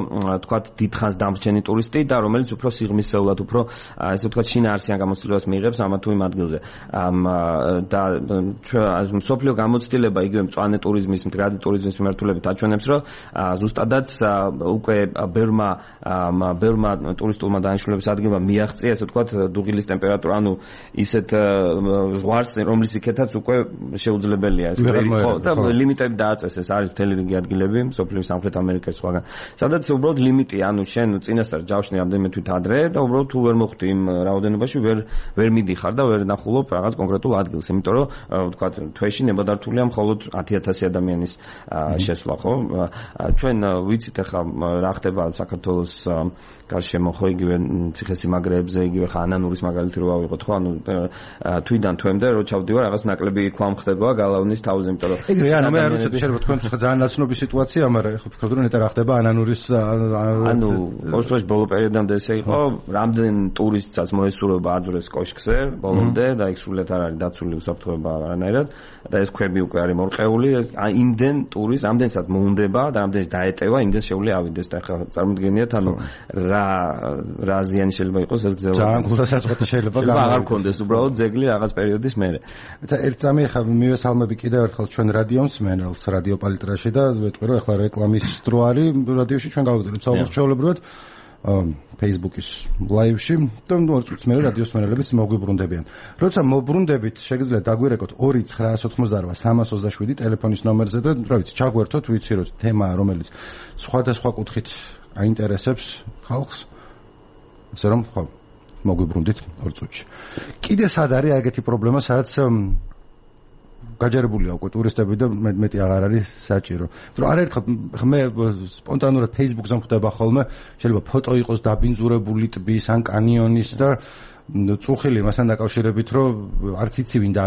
თქვათ დიდხანს დამრჩენი ტურისტი და რომელიც უფრო სიღრმისეულად, უფრო ესე ვთქვათ შინაარსიან გამოცდილებას მიიღებს ამა თუ იმ ადგილზე. და მსოფლიო გამოცდილება იგივე მწვანე ტურიზმის, მდგრადი ტურიზმის მიმართულებით აჩვენებს, რომ ზუსტადაც უკვე ბერმა ტურისტულმა დანიშნულების ადგილმა მიაღწია, ესე ვთქვათ, დუღილის ტემპერატურა, ანუ ისეთ ზღვარს, რომლის იქეთაც უკვე შეუძლებელია ეს და ლიმიტები დააწესეს, არის მთელი რიგი ადგილები, მსოფლიოს სამხრეთ ამერიკის სხვაგან. სადაც უბრალოდ ლიმიტია, ანუ შენ წინასწარ ჯავშნი რამდენიმე თვით ადრე და უბრალოდ თუ ვერ მოხვდი იმ რაოდენობაში ვერ მიდიხარ და ვერ ნახულობ რაღაც კონკრეტულ ადგილს, იმიტომ რომ ვთქვათ, თვეში ნებადართულია მხოლოდ 10,000 ადამიანის შესვლა, ხო? ჩვენ ვიცით ახლა რა ხდება საქართველოს გარშემო, ხო, იგივე ციხესიმაგრეებზე, იგივე ხა ანანურის მაგალითი რო ავიღოთ, ხო, ანუ თვიდან თვემდე რო ჩავდივარ, რაღაც ნაკლები ქვამ ხდება გალავნის თავზე, იმიტომ რომ ეგრე ანუ მე არ ვიცი შეიძლება თქვენ ძალიან ნაცნობი სიტუაცია, მაგრამ ეხლა ვფიქრობ რომ ნეტა რა ხდება ანანურის ანუ ოშტოს ბოლო პერიოდამდე ესე იყო, რამდენ ტურისტსაც მოესურვება აძურეს კოშკზე ბოლომდე და იქ სრულად არ არის დაცული უსაფრთხოება არანაირად და ეს ქვები უკვე არის მორყეული, იმდენ ტურისტ რამდენსაც მოუნდება და რამდენიც დაეტევა, იმდენ შეუძლია ავიდეს და ახლა წარმოგიდგენიათ ანუ რა ზიანი შეიძლება იყოს ეს გზევა. ძალიან გულდასაწყვეტი შეიძლება აღარ გქონდეს უბრალოდ ძეგლი რაღაც პერიოდის მერე. ერთ წამი ხა მივესალმები კიდევ ერთხელ ჩვენ რადიო მსმენელს რადიო პალიტრაში და ვეტყვი რომ ახლა რეკლამის დრო არის რადიოში ჩვენ გავაგზავნებთ საუბარს ჩვეულებრივად Facebook-ის live-ში და ორ წუთს მერე რადიოს მსმენელები მოგვიბრუნდებიან. როცა მობრუნდებით, შეგიძლიათ დაგვირეკოთ 2-988-327 ტელეფონის ნომერზე და რა ვიცი, ჩაგვერთოთ, ვიცი რომ თემა რომელიც სხვადასხვა კუთხით აინტერესებს ხალხს. ასე რომ ხო მოგვიბრუნდით 2 წუთში. კიდე სად არის ეგეთი პრობლემა, სადაც გაჯერებულია უკვე ტურისტები და მეტი აღარ არის საჭირო. რომ არაერთხელ მე სპონტანურად Facebook-ზე მხვდება ხოლმე, შეიძლება ფოტო იყოს დაბინძურებული ტბის ან კანიონის და წუხილი მასთან დაკავშირებით, რომ არც იცი ვინ და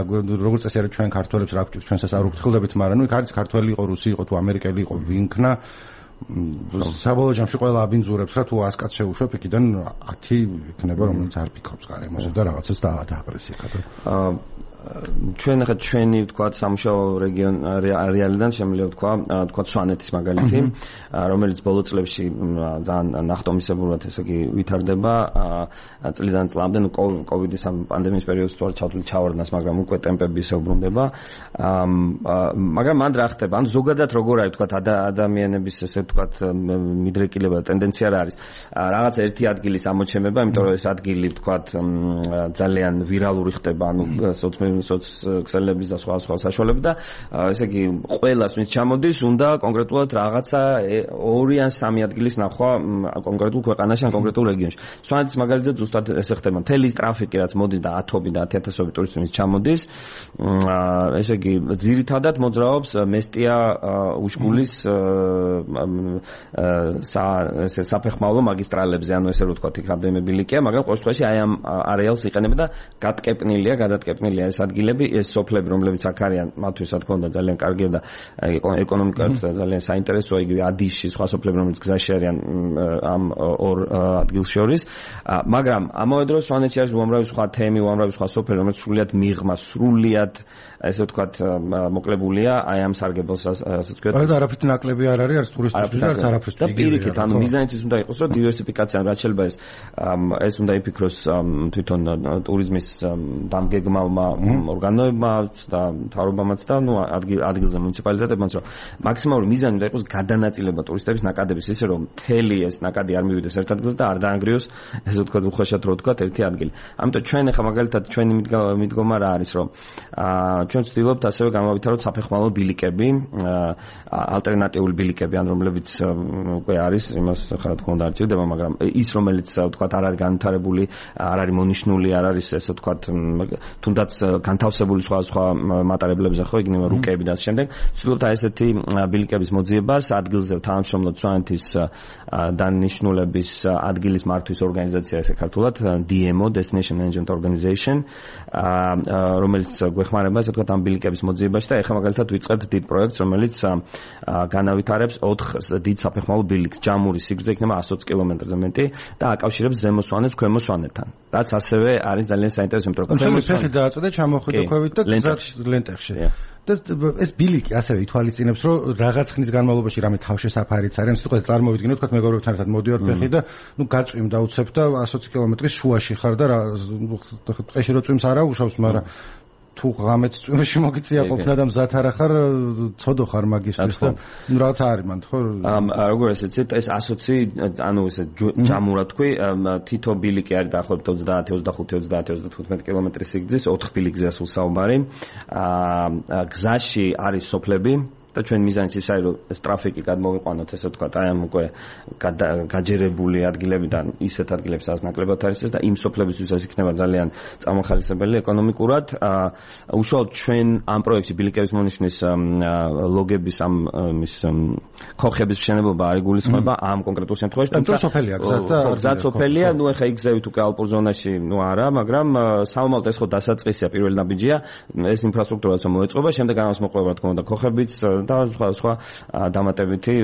როგორც წესი არის ჩვენ ქართველებს რა გვჭირს, ჩვენსაც არ უხთხილდებით, მაგრამ ნუ იქ არის ქართველი იყო, რუსი იყო, თუ ამერიკელი იყო, ვინ ქნა საბოლოო ჯამში ყველა აბინძურებს რა თუ 100 კაცს შეუშვებ იქიდან 10 იქნება რომელიც არ ფიქრობს გარემოზე და რაღაცას დაააგრესია და ჩვენ ახლა ჩვენი ვთქვათ სამუშაო რეალიდან შემიძლია ვთქვათ სვანეთის მაგალითი, რომელიც ბოლო წლებში ძალიან ნახტომისებურად ესე იგი ვითარდება წლიდან წლამდე, ნუ კოვიდის ამ პანდემიის პერიოდში თორე ჩავარდნას, მაგრამ უკვე ტემპები ისე უბრუნდება. მაგრამ მანდ რა ხდება? ანუ ზოგადად როგორ არის ვთქვათ ადამიანების ესე ვთქვათ მიდრეკილება და ტენდენცია რა არის? რაღაც ერთი ადგილის ამოჩემება, იმიტომ რომ ეს ადგილი ვთქვათ ძალიან ვირალური ხდება, ანუ სოციალების და სხვა საშუალებით და ესე იგი ყველას ვინც ჩამოდის უნდა კონკრეტულად რაღაცა 2 ან 3 ადგილის ნახვა კონკრეტულ ქვეყანაში ან კონკრეტულ რეგიონში. სვანეთის მაგალითზე ზუსტად ესე ხდება. მთელი ტრაფიკი რაც მოდის და 10-ობი და 10,000-ობი ტურისტი ვინც ჩამოდის, ესე იგი ძირითადად მოძრაობს მესტია უშკულის საფეხმავლო მაგისტრალებზე, ანუ ესე რომ ვთქვათ, იქ რამდენიმე ბილიკია, მაგრამ ყოველ შემთხვევაში აი ამ არეალს იყენება და გადატკეპნილია ეს ადგილები, ეს სოფლები, რომლებიც აქ არიან, მათთვის რა თქმა უნდა ძალიან კარგია და ეკონომიკურად ძალიან საინტერესოა, იგივე ადიშში სხვა სოფლები, რომლებიც გზაში არიან ამ ორ ადგილს შორის. მაგრამ ამავე დროს სვანეთში არის უამრავი სხვა თემი, უამრავი სხვა სოფელი, რომელიც სრულიად მიღმა, სრულიად ესე ვთქვათ მოკლებულია აი ამ სარგებელს, ასე ვთქვათ. და არაფრით ნაკლები არ არის, არც ტურისტებისთვის და არც არაფრით. და პირიქით, ანუ მიზანიც ის უნდა იყოს, რომ დივერსიფიკაცია, რაც შეიძლება ეს უნდა იფიქროს თვითონ ტურიზმის დამგეგმავმა ორგანოებმაც და მთავრობამაც და ადგილზე მუნიციპალიტეტებმაც რომ მაქსიმალური მიზანი უნდა იყოს გადანაწილება ტურისტების ნაკადების ისე რომ მთელი ეს ნაკადი არ მივიდეს ერთ ადგილზე და არ დაანგრიოს ესე ვთქვათ უხეშად რო ვთქვათ ერთი ადგილი. ამიტომ ჩვენ ახლა მაგალითად ჩვენი მიდგომა რა არის რომ ჩვენ ვცდილობთ ასევე გამავითაროთ საფეხმავლო ბილიკები, ალტერნატიული ბილიკები, ან რომლებიც უკვე არის, იმას ხარ თქმა უნდა არ ჭირდება, მაგრამ ის რომელიც ვთქვათ არ არის განვითარებული, არ არის მონიშნული, არ არის ესე ვთქვათ თუნდაც განთავსებული სხვა მატარებლებზე ხო, იგივე რუკები და ამ შემდეგ. ვცდილობთ აი ესეთი ბილიკების მოძიებას ადგილზე თანამშრომლობთ სვანეთის დანიშნულების ადგილის მართვის ორგანიზაცია ესე ქართულად DMO Destination Management Organization, რომელიც გვეხმარება ესე ვთქვათ ამ ბილიკების მოძიებაში და ეხლა მაგალითად ვიწყებთ დიდ პროექტს, რომელიც განავითარებს 4 დიდ საფეხმავლო ბილიკს. ჯამური სიგრძე იქნება 120 კილომეტრზე მეტი და აკავშირებს ზემო სვანეთს ქვემო სვანეთთან. რაც ასევე არის ძალიან საინტერესო, იმიტომ რომ ქვემო სვანეთი დააწოდა ჩამოხვიდა ქვევით და ლენტეხში. და ეს ბილიკი ასევე ითვალისწინებს, რომ რაღაც ხნის განმავლობაში რამე თავშესაფარიც არის, თქო წარმოვიდგინოთ, თქო მეგობრებთან ერთად მოდივარ ფეხი და გაწვიმ დავუცებ და 120 კილომეტრის შუაში ხარ და ტყეში რო წვიმს არა უშავს, მაგრამ თუ ღამეც წვიმში მოგიწია ყოფნა და მზად არ ახარ, ცოდო ხარ მაგისთვის და რაღაც არის მანდ ხო? როგორ ესეც ეს 120 ანუ ესე ჯამურად თქვი, თითო ბილიკი არის დაახლოებით 30, 25, 30, 35 კილომეტრის სიგრძის, 4 ბილიკზე სულ საუბარი. გზაში არის სოფლები და ჩვენ მიზანიც ის არის რომ ეს ტრაფიკი გადმოვიყვანოთ ესე ვთქვათ აი ამ უკვე გაჯერებული ადგილებიდან ისეთ ადგილებს რაც ნაკლებად არის და იმ სოფლებისთვის ეს იქნება ძალიან წამახალისებელი ეკონომიკურად. უშუალოდ ჩვენ ამ პროექტში ბილიკების მონიშნის ლოგების ამ ის ქოხების მშენებლობა არ იგულისხმება ამ კონკრეტულ შემთხვევაში, თუმცა სოფელია გზად სოფელია, ნუ ეხა იგზევით უკვე ალპურ ზონაში ნუ არა, მაგრამ საომალთ ეს ხო დასაწყისია, პირველი ნაბიჯია, ეს ინფრასტრუქტურაც მოეწყობა, შემდეგ ამას მოყვება თქო და ქოხებიც და სხვა დამატებითი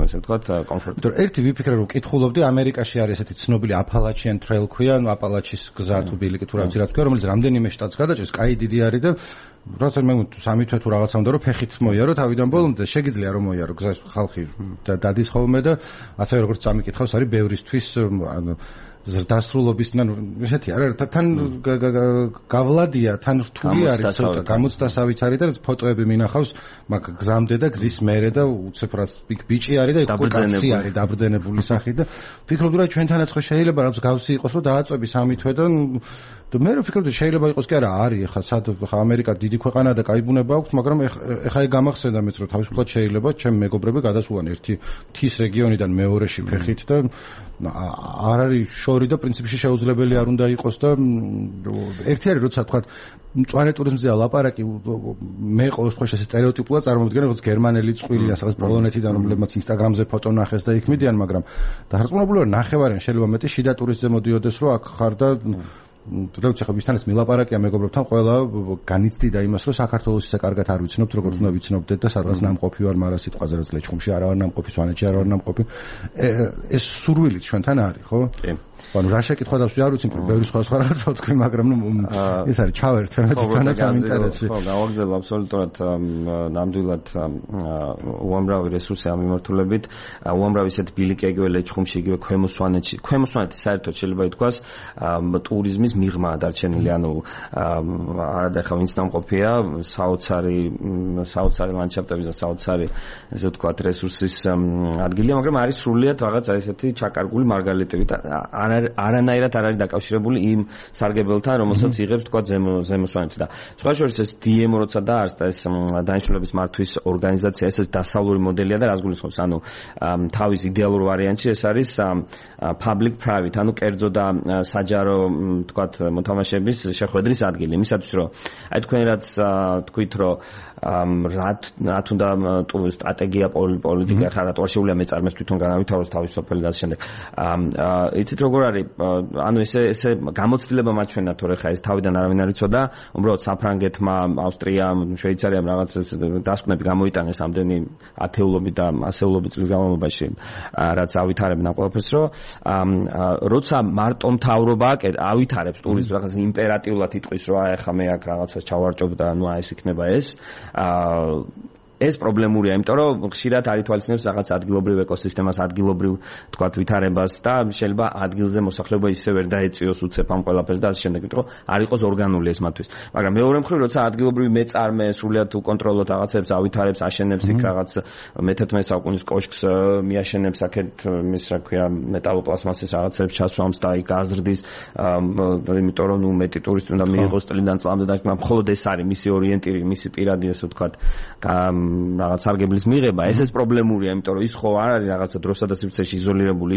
ესე ვთქვათ კომფორტი. ერთი ვიფიქრე რომ კითხულობდი, ამერიკაში არის ესეთი ცნობილი Appalachian Trail ქვია, ანუ აპალაჩის გზა თუ ბილიკი თუ რაღაც ქვია, რომელიც რამდენიმე შტატს გადაჭერს, კაი დიდი არის და როცა მე სამი თვე თუ რაღაცა უნდა რომ ფეხით მოიარო თავიდან ბოლომდე, შეგიძლია რომ მოიარო გზას ხალხი დადის ხოლმე და ასევე როგორც წამიკითხავს არის ბევრისთვის ანუ ზრდასრულობისთან ესეთი არა თან გავლადია თან რთული არის ცოტა გამოცდასავით არის და ფოტოები მინახავს მაგ გზამდე და გზის მერე და უცებ რა ბიჭი არის და კაცი არის დაბრძენებული სახით და ფიქრობდი რა ჩვენთანაც ხო შეიძლება რაღაც გავსი იყოს რომ დააწვევი სამი თვე და მე ვფიქრობდი შეიძლება იყოს კი არა არის ხა ამერიკა დიდი ქვეყანაა და კაი ბუნება აქვს, მაგრამ ეხა გამახსენდა მეც რომ თავისუფლად შეიძლება ჩემ მეგობრები გადასულან ერთი მთის რეგიონიდან მეორეში ფეხით და არ არის შორი და პრინციპში შეუძლებელი არ უნდა იყოს და ერთი არის როცა თქვა მწვანე ტურიზმზეა ლაპარაკი, მე ყოველთვის ხო ესე სტერეოტიპულად წარმოვიდგენ როგორც გერმანელი წყვილი ასაღაც პოლონეთიდან რომლებმაც ინსტაგრამზე ფოტო ნახეს და იქ მიდიან, მაგრამ დარწმუნებული ვარ ნახევარიან შეიძლება მეტი შიდა ტურისტზე მოდიოდეს რომ აქ ხარ და როცა ხო ვისთანაც მილაპარაკია მეგობრებთან, ყველა განიცდიდა იმას, რომ საქართველოს ისე კარგად არ ვიცნობთ, როგორც უნდა ვიცნობდეთ და სადღაც ნამყოფი ვარ, მაგრამ სიტყვაზე რაც ლეჩხუმში არა ვარ ნამყოფი, სვანეთში არა ვარ ნამყოფი. ეს სურვილი ჩვენთან არის, ხო? კი. ანუ რა შეკითხვა და არ ვიცი, ბევრი სხვა რაღაცა ვთქვი, მაგრამ ეს არის ჩავერთ თვითონაც ამ ინტერესში. ხო, გავაგზავნე აბსოლუტურად ნამდვილად უამრავი რესურსი ამ მიმართულებით, უამრავი ისეთ ბილიკი იგივე ლეჩხუმში, იგივე ქვემო სვანეთში. ქვემო სვანეთი საერთოდ შეიძლება ითქვას ტურიზმის მიღმა დარჩენილი, ანუ არადა ხა ვინც ნამყოფია საოცარი ლანდშაფტების და საოცარი ესე ვთქვათ რესურსის ადგილია, მაგრამ არის სრულიად რაღაცა ესეთი ჩაკარგული მარგალიტებით, არანაირად არ არის დაკავშირებული იმ სარგებელთან, რომელსაც იღებს თქვა ზემო სვანეთი და სხვა შორის ეს DMO როცა დაარსდა ეს დანიშნულების მართვის ორგანიზაცია, ეს დასავლური მოდელია და რას გულისხმობს, ანუ თავის იდეალურ ვარიანტში ეს არის public private, ანუ კერძო და საჯარო თქვათ მოთამაშეების შეხვედრის ადგილი, იმისათვის რომ აი თქვენ რაც თქვით რომ რაც უნდა სტრატეგია პოლიტიკა ხარ რატო შეუძლია მეწარმეს თვითონ განავითაროს თავის სოფელი და ამ შემდეგ იცით როგორ არის, ანუ ესე გამოცდილება მაჩვენა თორე ხა ეს თავიდან არავინ არ იცოდა, უბრალოდ საფრანგეთმა, ავსტრიამ, შვეიცარიამ რაღაც დასკვნები გამოიტანეს ამდენი ათეულობით და ასეულობით წლის განმავლობაში, რაც ავითარებენ ამ ყველაფერს, რომ როცა მარტო მთავრობა ავითარებს ტურიზმს რაღაც იმპერატიულად იტყვის, რომ აი ახლა მე აქ რაღაცას ჩავარჭობ და ნუ აი ეს იქნება ეს ეს პრობლემურია, იმიტომ რომ ხშირად არ ითვალისწინებს რაღაც ადგილობრივ ეკოსისტემას, ადგილობრივ თქვათ ვითარებას და შეიძლება ადგილზე მოსახლეობა ისე ვერ დაეწიოს უცებ ამ ყველაფერს და ასე შემდეგ, იმიტომ რომ არ იყოს ორგანული ეს მათთვის. მაგრამ მეორე მხრივ, როცა ადგილობრივი მეწარმე სრულიად უკონტროლოთ რაღაცებს, ავითარებს, აშენებს იქ რაღაც მე-11 საუკუნის კოშკს მიაშენებს აქეთ მის რა ქვია მეტალოპლასმასის რაღაცებს ჩასვამს და იქ აზრდის, იმიტომ რომ მეტი ტურისტი უნდა მიიღოს წლიდან წლამდე და მხოლოდ ეს არის მისი ორიენტირი, მისი პირადი ესე ვთქვათ რაღაც სარგებლის მიღება, ესეც პრობლემურია, იმიტომ რომ ის ხო არ არის რაღაცა დროსა და სივრცეში იზოლირებული,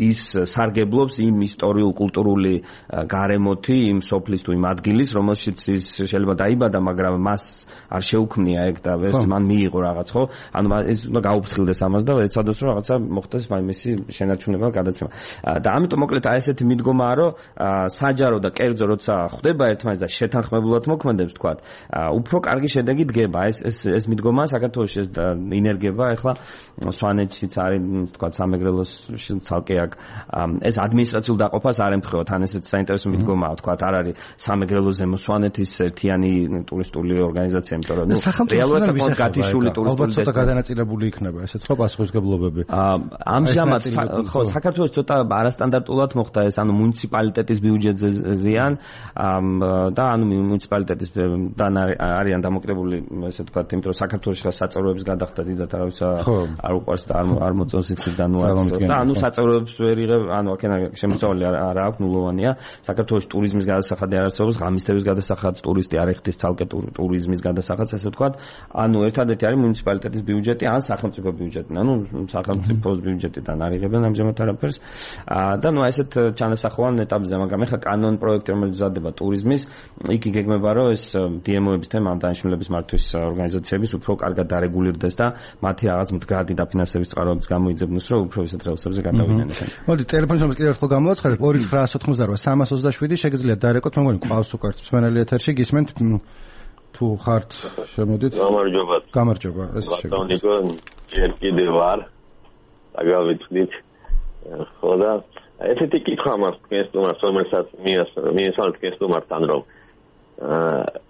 ის სარგებლობს იმ ისტორიულ კულტურული გარემოთი, იმ სოფლის თუ იმ ადგილის, რომელშიც ის შეიძლება დაიბადა, მაგრამ მას არ შეუქმნია ეგ და ეს მან მიიღო რაღაც, ხო? ანუ ეს უნდა გაუფრთხილდეს ამას და ეცადოს რომ რაღაცა მოხდეს მისი შენარჩუნება გადაცემა. და ამიტომ მოკლედ აი ესეთი მიდგომაა, რომ საჯარო და კერძო როცა ხვდება ერთმანეთს და შეთანხმებულად მოქმედებს, თქვათ, უფრო კარგი შედეგი დგება. ეს მიდგომა საქართველოში ეს ინერგება, ეხლა სვანეთშიც არის, თქვათ, სამეგრელოს ცალკე აქ ეს ადმინისტრაციულ დაყოფას არ ემთხვევა, თან ესეც საინტერესო მიდგომაა, თქვათ, არ არის სამეგრელო ზემო სვანეთის ერთიანი ტურისტული ორგანიზაცია, იმიტომ რომ რეალურად საკმაოდ გათიშული ტურისტული ცოტა გადანაწილებული იქნება ესეც ხო პასუხისმგებლობები. ამჟამად ხო საქართველოს ცოტა არასტანდარტულად მოხდა ეს, ანუ მუნიციპალიტეტის ბიუჯეტზე ზიან და ანუ მუნიციპალიტეტის არიან დამოკიდებული ესე ვთქვათ, იმიტომ რომ საქართველოში ხა საწევროებს გადახდა დიდად არავის არ უყვარს და არ მოწონს იცით და ანუ საწევროებს ვერ იღებ, ანუ აქენა შემოსავალი არ აქვს, ნულოვანია. საქართველოში ტურიზმის გადასახადი არ არსებობს, ღამისთების გადასახადს, ტურისტი არ ეხდის ცალკე ტურიზმის გადასახადს, ესე ვთქვათ. ანუ ერთადერთი არის მუნიციპალიტეტის ბიუჯეტი ან სახელმწიფო ბიუჯეტი. ანუ სახელმწიფოს ბიუჯეტიდან არ იღებენ ამჟამად არაფერს. და ნუ ესეთ ჩანასახოვან ეტაპზე, მაგრამ ეხლა კანონ პროექტი რომელიც მზადდება ტურიზმის, იქ იგეგმება რომ ეს DMO-ების თემა, ამ დანიშნულების მართვის ორგანიზაციების უფრო კარგად დარეგულირდეს და მათი რაღაც მდგრადი დაფინანსების წყაროებს გამოიძებნოს, რომ უფრო ისეთ რელსებზე გადავიდნენ. მოდი ტელეფონის ნომერს კიდევ ერთხელ გამოვაცხადებ 2988 შეგიძლიათ დარეკოთ, მე მგონი ყავს უკეთ მსმენელი ეთერში გისმენთ თუ ხართ შემოდით. გამარჯობა. ეს ბატონიკო, ჯერ კიდევ ვარ. დაგავიწყდით. ხო და ესეთი კითხვა მაქვს თქვენს სტუმარს, რომელსაც მიესალმეთ თქვენს სტუმართან, რომ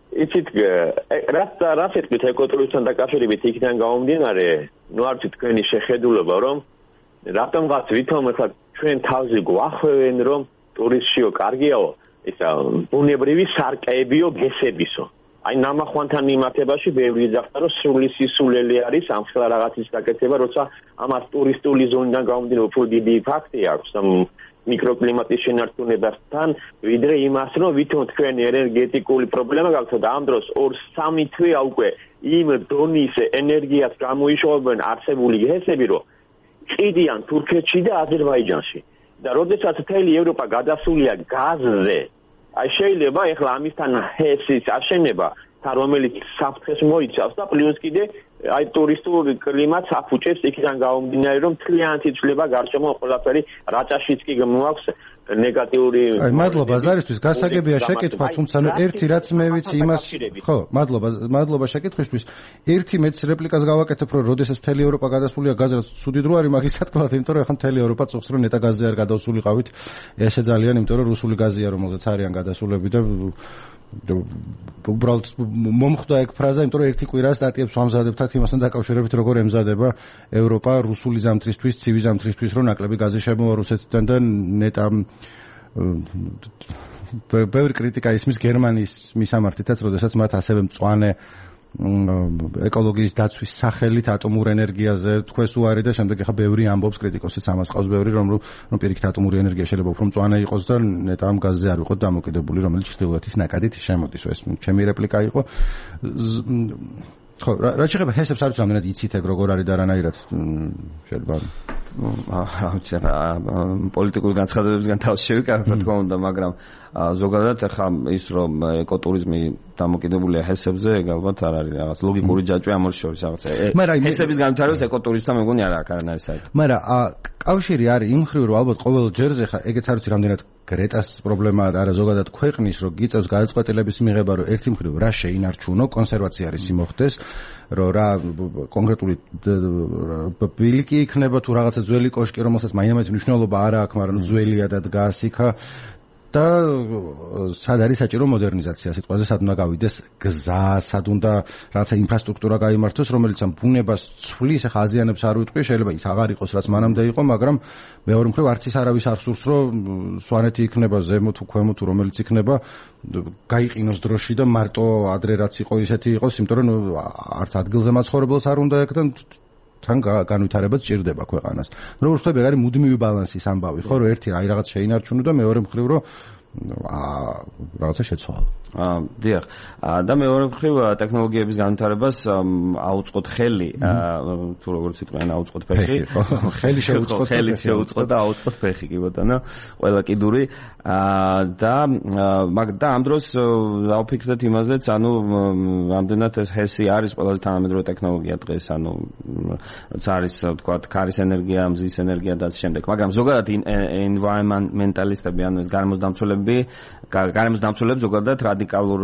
იცით რა სიტყვით ეკოტურიზმთან დაკავშირებით იქიდან გამომდინარე, ნუ არ ვიცი თქვენი შეხედულება, რომ რატომღაც ვითომ ახლა ჩვენ თავზე გვახვევენ, რომ ტურისტშიო კარგიაო, ისა ბუნებრივი სარკეებიო გესებისო. აი ნამახვანთან მიმართებაში ბევრი ძახდა, რომ სრული სისულელი არის ამ ხელა რაღაცის გაკეთება, როცა ამას ტურისტული ზონიდან გამომდინარე უფრო დიდი ფაქტი აქვს მიკროკლიმატის შენარჩუნებასთან, ვიდრე იმას, რომ ვითომ თქვენი ენერგეტიკული პრობლემა გაქვთ და ამ დროს 2-3 თვეა უკვე იმ დონის ენერგიას გამოიშოვებენ არსებული გესები, რომ ყიდიან თურქეთში და აზერბაიჯანში. და როდესაც მთელი ევროპა გადასულია გაზზე, აი შეიძლება ეხლა ამისთან ჰესის აშენება, რომელიც საფრთხეს მოიცავს და პლუს კიდე აი ტურისტული კლიმატს აფუჭებს იქიდან გამომდინარე, რომ მთლიანად იცვლება გარშემო ყველაფერი, რაჭაშიც კი მოაქვს ნეგატიური. აი მადლობა ზარისთვის, გასაგებია შეკითხვა, თუმცა ერთი რაც მე ვიცი იმას, ხო, მადლობა შეკითხვისთვის. ერთი მეც რეპლიკას გავაკეთებ, რომ როდესაც მთელი ევროპა გადასულია გაზრაც ცუდი დრო არის მაგის სათქმელად, იმიტომ რომ ახლა მთელი ევროპა წუხს რომ ნეტა გაზზე არ გადავსულიყავით, ესე ძალიან, იმიტომ რომ რუსული გაზია, რომელზეც არიან გადასულები და უბრალოდ მომხვდა ეგ ფრაზა, იმიტომ რომ ერთი კვირა სტატიებს ვამზადებთ იმასთან დაკავშირებით, როგორ ემზადება ევროპა რუსული ზამთრისთვის, ცივი ზამთრისთვის, რომ ნაკლები გაზი შემოვა რუსეთიდან და ნეტა ბევრი კრიტიკა ისმის გერმანიის მისამართითაც, როდესაც მათ ასევე მწვანე ეკოლოგიის დაცვის სახელით ატომურ ენერგიაზე თქვეს უარი და შემდეგ ახლა ბევრი ამბობს, კრიტიკოსიც ამას ყავს ბევრი, რომ პირიქით ატომური ენერგია შეიძლება უფრო მწვანე იყოს და ნეტა ამ გაზზე არ ვიყოთ დამოკიდებული, რომელიც ჩრდილოეთის ნაკადით შემოდის. ეს ჩემი რეპლიკა იყო. ხო, რა შეიძლება ჰესებს არ ვიცი რამდენად იცით ეგ როგორ არის და რანაირად შეიძლება პოლიტიკური განცხადებებისგან თავს შევიკავებ, რა თქმა უნდა, მაგრამ ზოგადად ახლა ის რომ ეკოტურიზმი დამოკიდებულია ჰესებზე, ეგ ალბათ არ არის რაღაც ლოგიკური ჯაჭვი ამ ორ შორის რაღაცა. ჰესების განვითარებას ეკოტურიზმთან მეგონი არ აქვს არანაირი საერთო. მაგრამ კავშირი არის იმ მხრივ, რომ ალბათ ყოველ ჯერზე ხა ეგეც არ ვიცი რამდენად გრეტას პრობლემაა და არა ზოგადად ქვეყნის, რომ გიწევს გადაწყვეტილების მიღება, რომ ერთი მხრივ რა შეინარჩუნო, კონსერვაცია არის იმოხდეს, რომ რა კონკრეტული ბილიკი იქნება თუ რაღაცა ძველი კოშკი, რომელსაც მაინც მნიშვნელობა არ აქვს, მაგრამ ძველია და დგას იქა. და სად არის საჭირო მოდერნიზაცია, სიტყვაზე სად უნდა გავიდეს გზა, სად უნდა რაღაცა ინფრასტრუქტურა გაიმართოს, რომელიც ამ ბუნებას ცვლის, ახლა აზიანებს არ ვიტყვი, შეიძლება ის აღარ იყოს, რაც მანამდე იყო, მაგრამ მეორე მხრივ არც ის არავის არ სურს, რომ სვანეთი იქნება ზემო თუ ქვემო თუ რომელიც იქნება, გაიყინოს დროში და მარტო ადრე რაც იყო ისეთი იყოს, იმიტომ რომ არც ადგილზე მაცხოვრებელს არ უნდა ეკ და თან განვითარებაც ჭირდება ქვეყანას. როგორ ვხვდები, არის მუდმივი ბალანსის ამბავი, ხო, რომ ერთი აი რაღაც შეინარჩუნო და მეორე მხრივ რომ რაღაცა შეცვალო. დიახ. და მეორე მხრივ ტექნოლოგიების განვითარებას აუწყოთ ხელი, თუ როგორც იტყვიან, აუწყოთ ფეხი. ხელი შეუწყოთ და აუწყოთ ფეხი, კი ბატონო. ყველა კიდური და ამ დროს დავფიქრდეთ იმაზეც, ანუ რამდენად ეს ჰესი არის ყველაზე თანამედროვე ტექნოლოგია დღეს, ანუ როცა არის ვთქვათ, ქარის ენერგია, მზის ენერგია და ასე შემდეგ. მაგრამ ზოგადად environmentalistები, ანუ ეს გარემოსდამცველები ზოგადად რადიკალურ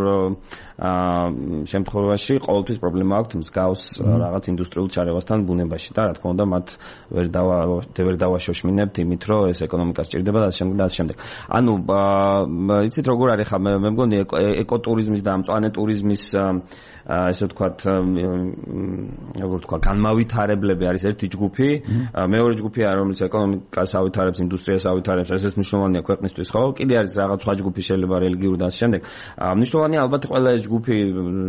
შემთხვევაში ყოველთვის პრობლემა აქვს მსგავს რაღაც ინდუსტრიულ ჩარევასთან ბუნებაში და რა თქმა უნდა მათ ვერ დავაშოშმინებთ იმით რომ ეს ეკონომიკა სჭირდება და ასე შემდეგ. ანუ იცით როგორ არის ხა მე მგონი ეკოტურიზმის და მწვანე ტურიზმის ესე ვთქვათ როგორ ვთქვა განმავითარებლები არის ერთი ჯგუფი, მეორე ჯგუფია რომელიც ეკონომიკას ავითარებს, ინდუსტრიას ავითარებს, ესეც მნიშვნელოვანია ქვეყნისთვის, ხო? კიდე არის რაღაც სხვა ჯგუფი შეიძლება რელიგიური და ასე შემდეგ. მნიშვნელოვანია ალბათ ყველა ეს ჯგუფი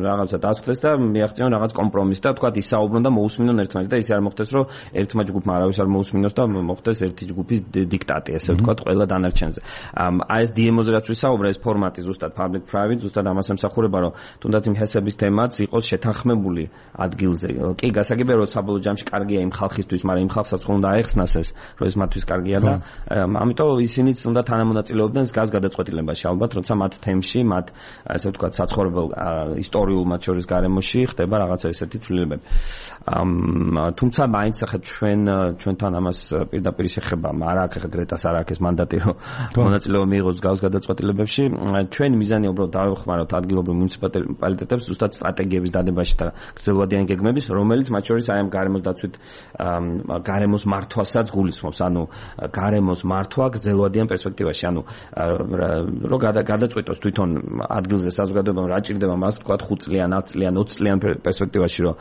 რაღაცა დასხდეს და მიაღწიონ რაღაც კომპრომისს და ვთქვათ ისაუბრონ და მოусმინონ ერთმანეთს და ისე არ მოხდეს რომ ერთმა ჯგუფმა არავის არ მოусმინოს და მოხდეს ერთი ჯგუფის დიქტატი, ესე ვთქვათ, ყველა დანარჩენზე. აი ეს DMO-ზე რაც ვისაუბრე, ეს ფორმატი ზუსტად public private, ზუსტად ამას ემსახურება, რომ თუნდაც იმ ჰესების თემაც იყოს შეთანხმებული ადგილზე. კი, გასაგებია რომ საბოლოო ჯამში კარგია იმ ხალხისთვის, მაგრამ იმ ხალხსაც ხომ უნდა აეხსნას ეს, რომ ეს მათთვის კარგია და ამიტომ ისინიც უნდა თანამონაწილეობდნენ გზას გადაწყვეტილებაში, ალბათ, როცა მათ თემში, მათ ასე ვთქვათ, საცხოვრებელ ისტორიულ მათ შორის გარემოში ხდება რაღაცა ესეთი ცვლილებები. თუმცა მაინც ახლა ჩვენთან ამას პირდაპირ შეხება, არ აქვს ახლა გრეტას არ აქვს ეს მანდატი, რომ მონაწილეობა მიიღოს გზას გადაწყვეტილებებში. ჩვენი მიზანია უბრალოდ დავეხმაროთ ადგილობრივ მუნიციპალიტეტებს ზუსტად სტრატეგიების დადებაში და გრძელვადიანი გეგმების, რომელიც მათ შორის აი ამ გარემოს დაცვით გარემოს მართვასაც გულისხმობს, ანუ გარემოს მართვა გრძელვადიან პერსპექტივაში, ანუ რომ გადაწყვეტოს თვითონ ადგილზე საზოგადოებამ რა ჭირდება მას თქვათ 5 წლიან, 10 წლიან, 20 წლიან პერსპექტივაში, რომ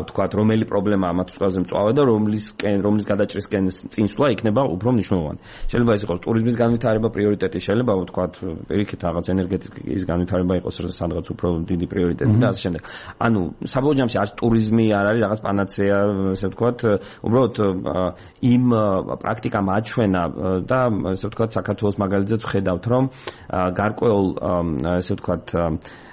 თქვათ რომელი პრობლემაა მათ ყველაზე მწვავე და რომლის გადაჭრისკენ წინსვლა იქნება უფრო მნიშვნელოვანი. შეიძლება ეს იყოს ტურიზმის განვითარება პრიორიტეტი, შეიძლება ვთქვათ პირიქით რაღაც ენერგეტიკის განვითარება იყოს სადღაც უფრო დიდი პრიორიტეტი და ასე შემდეგ. ანუ საბოლოო ჯამში არც ტურიზმი არ არის რაღაც პანაცეა, ესე ვთქვათ, უბრალოდ იმ პრაქტიკამ აჩვენა და ესე ვთქვათ საქართველოს მაგალითზეც ვხედავთ, რომ გარკვეულ ესე ვთქვათ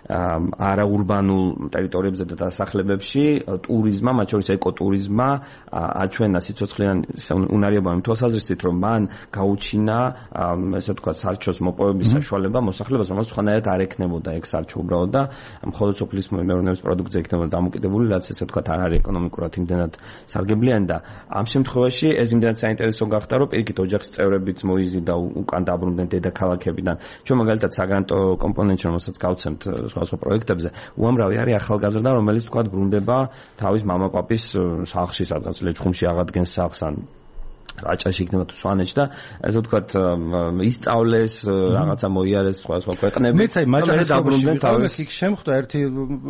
არაურბანულ ტერიტორიებზე და დასახლებებში ტურიზმმა, მათ შორის ეკოტურიზმმა აჩვენა სიცოცხლიან უნარიობა იმ თვალსაზრისით, რომ მან გაუჩინა ესე ვთქვათ სარჩოს მოპოვების საშუალება მოსახლეობას, რომელსაც სხვანაირად არ ექნებოდა ეგ სარჩო უბრალოდ და მხოლოდ სოფლის მეურნეობის პროდუქტზე იქნებოდა დამოკიდებული, რაც ესე ვთქვათ არ არის ეკონომიკურად იმდენად სარგებლიანი და ამ შემთხვევაში ეს იმდენად საინტერესო გახდა, რომ პირიქით ოჯახის წევრებიც მოიზიდა უკან დაბრუნდნენ დედაქალაქებიდან. ჩვენ მაგალითად საგრანტო კომპონენტში რომელსაც გავცემთ სხვა პროექტებზე, უამრავი არის ახალგაზრდა, რომელიც თქვათ ბრუნდება თავის მამაპაპის სახლში, სადღაც ლეჩხუმში აღადგენს სახლს ან რაჭაში იქნება თუ სვანეთში და ესე ვთქვათ ისწავლეს რაღაცა მოიარეს სხვა ქვეყნები. მეც აი მაჭარის დაბრუნდნენ თავის იქ შემხვდა ერთი,